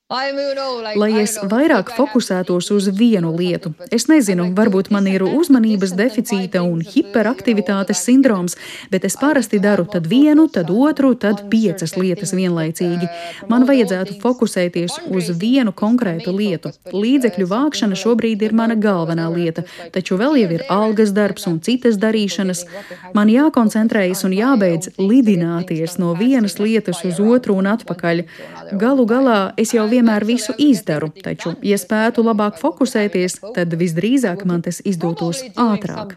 Lai es vairāk fokusētos uz vienu lietu. Es nezinu, varbūt man ir uzmanības deficīta un hiperaktivitātes sindroms, bet es parasti daru tad vienu, tad otru, tad 5 lietas vienlaicīgi. Man vajadzētu fokusēties uz vienu konkrētu lietu. Līdzekļu vākšana šobrīd ir mana galvenā lieta, taču vēl jau ir algas darbs un citas darīšanas. Man jākoncentrējas un jābeidz lidināties no vienas lietas uz otru un atpakaļ. Galu galā es jau vienmēr visu izdaru, taču, ja spētu labāk fokusēties, tad visdrīzāk man tas izdotos ātrāk.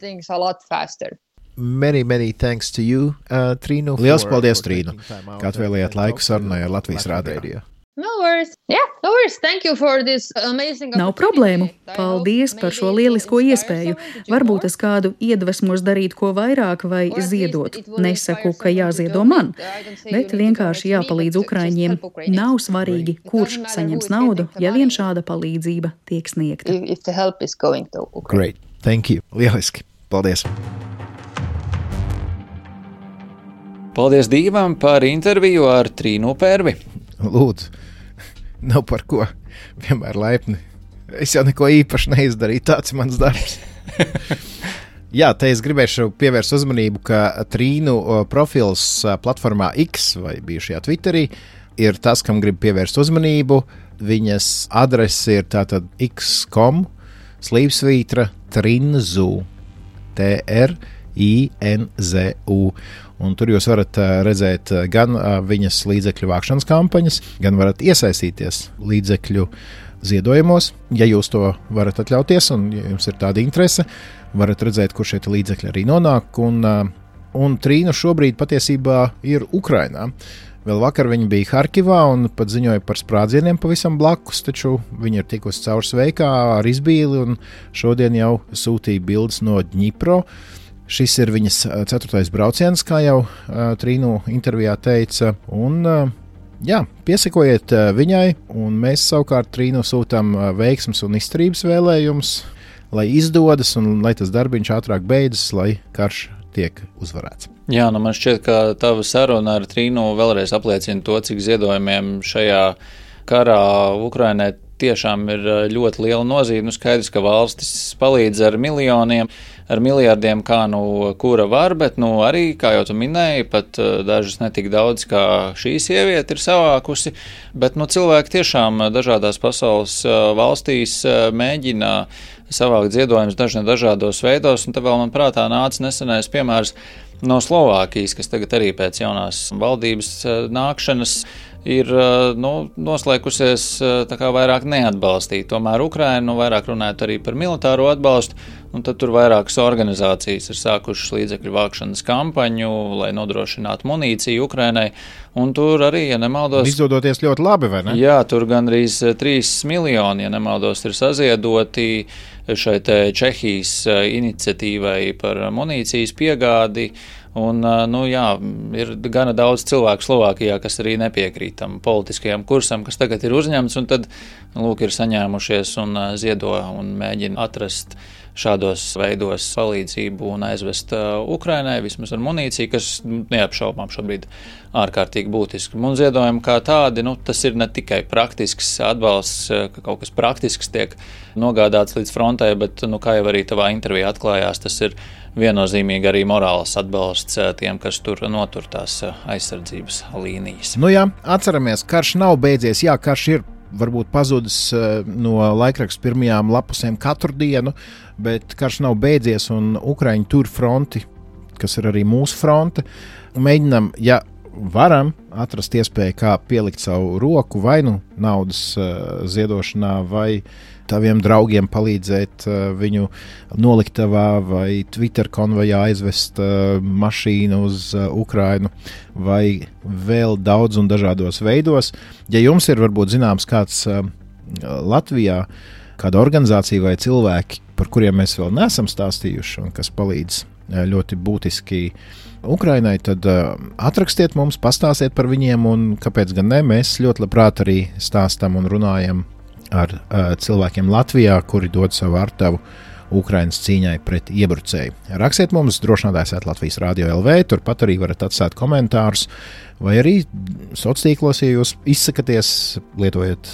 Many thanks to you, Trīnu. Liels paldies, Trīnu, ka atvēlējāt laiku sarunai ar Latvijas rādio. No worries. Yeah, no worries. Thank you for this amazing Nav problēmu. Paldies par šo lielisko iespēju. Varbūt es kādu iedvesmos darīt ko vairāk vai ziedot. Nesaku, ka jāziedo man, bet vienkārši jāpalīdz Ukraiņiem. Nav svarīgi, kurš saņems naudu, ja vien šāda palīdzība tiek sniegta. If the help is going to Ukraine. Great. Thank you. Lieliski. Paldies. Paldies Dīvam par interviju ar Trīnu Pērvi. Lūdzu. Nav par ko, vienmēr laipni. Es jau neko īpaši neizdarīju, tāds mans darbs. Jā, te es gribēšu pievērst uzmanību, ka Trīnu profils platformā X vai bijušajā Twitterī ir tas, kam grib pievērst uzmanību. Viņas adrese ir tātad x.com /Trinzu. T-R-I-N-Z-U. Un tur jūs varat redzēt gan viņas līdzekļu vākšanas kampaņas, gan varat iesaistīties līdzekļu ziedojumos. Ja jūs to varat atļauties un ja jums ir tāda interese, varat redzēt, kur šie līdzekļi arī nonāk. Un Trīna šobrīd patiesībā ir Ukrainā. Vēl vakar viņi bija Harkivā un pat ziņoja par sprādzieniem pavisam blakus, taču viņi ir tikusi caur sveikā ar izbīli un šodien jau sūtīja bildes no Dņipro. Šis ir viņas 4. brauciens, kā jau Trīnu intervijā teica, un piesakojiet viņai, un mēs savukārt Trīnu sūtām veiksmes un izturības vēlējumus, lai izdodas un lai tas darbiņš ātrāk beidzas, lai karš tiek uzvarēts. Jā, man šķiet, ka tava saruna ar Trīnu vēlreiz apliecina to, cik ziedojumiem šajā karā Ukrainai tiešām ir ļoti liela nozīme. Skaidrs, ka valstis palīdz ar miljoniem, ar miljardiem, kā kura var, bet arī, kā jau tu minēji, pat dažas netik daudz, kā šī sieviete ir savākusi, bet cilvēki tiešām dažādās pasaules valstīs mēģina savākt ziedojumus dažādos veidos, un te vēl man prātā nāca nesenais piemērs no Slovākijas, kas tagad arī pēc jaunās valdības nākšanas ir noslēgusies tā kā vairāk neatbalstīt. Tomēr Ukraina vairāk runājot arī par militāro atbalstu, un tad tur vairākas organizācijas ir sākušas līdzekļu vākšanas kampaņu, lai nodrošinātu munīciju Ukrainai, un tur arī, ja nemaldos... Izdodoties ļoti labi, vai ne? Jā, tur gandrīz 3 miljoni, ja nemaldos, ir saziedoti šai Čehijas iniciatīvai par munīcijas piegādi. Un, ir gana daudz cilvēku Slovākijā, kas arī nepiekrīt tam politiskajam kursam, kas tagad ir uzņemts, un tad, ir saņēmušies un ziedo un mēģina atrast šādos veidos palīdzību un aizvest Ukrainai, vismaz ar munīciju, kas neapšaubām šobrīd ārkārtīgi būtiski. Un ziedojumi kā tādi, tas ir ne tikai praktisks atbalsts, ka kaut kas praktisks tiek nogādāts līdz frontē, bet, kā jau arī tavā intervijā atklājās, tas ir viennozīmīgi arī morāls atbalsts tiem, kas tur notur tās aizsardzības līnijas. Atceramies, karš nav beidzies, karš ir varbūt pazudis no laikraksta pirmajām lapusēm katru dienu, bet karš nav beidzies un Ukraiņi tur fronti, kas ir arī mūsu fronte. Mēģinam, varam atrast iespēju, kā pielikt savu roku vai naudas ziedošanā vai taviem draugiem palīdzēt viņu noliktavā vai Twitter konvojā aizvest mašīnu uz Ukrainu vai vēl daudz un dažādos veidos. Ja jums ir varbūt zināms kāds Latvijā, kāda organizācija vai cilvēki, par kuriem mēs vēl neesam stāstījuši un kas palīdz ļoti būtiski Ukrainai, tad atrakstiet mums, pastāstiet par viņiem un kāpēc gan ne, mēs ļoti labprāt arī stāstam un runājam ar cilvēkiem Latvijā, kuri dod savu artavu Ukrainas cīņai pret iebrucēju. Rakstiet mums drošinātājs@Latvijas Radio LV, turpat arī varat atstāt komentārus, vai arī sociālos tīklos, ja jūs izsakaties, lietojot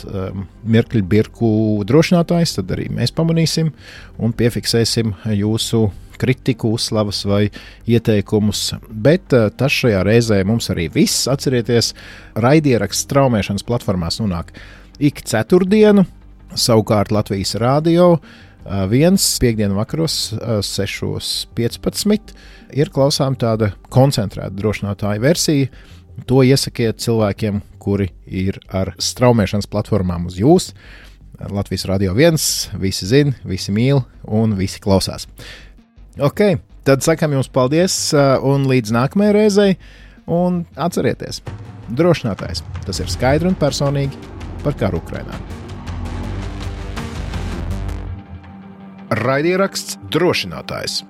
mirkļu birku drošinātājs, tad arī mēs pamanīsim un piefiksēsim jūsu kritiku, uzslavas vai ieteikumus, bet tas šajā reizē mums arī viss. Atcerieties, raidieraksts straumēšanas platformās nonāk ik ceturtdienu, savukārt Latvijas Rādio 1 piekdienu vakaros 6:15 ir klausām tāda koncentrēta drošinātāja versija. To iesakiet cilvēkiem, kuri ir ar straumēšanas platformām uz jūs. Latvijas Rādio 1, visi zina, visi mīl un visi klausās. Ok, tad sakam jums paldies un līdz nākamajai reizei, un atcerieties, drošinātājs, tas ir skaidri un personīgi par karu Ukrainā. Raidieraksts drošinātājs.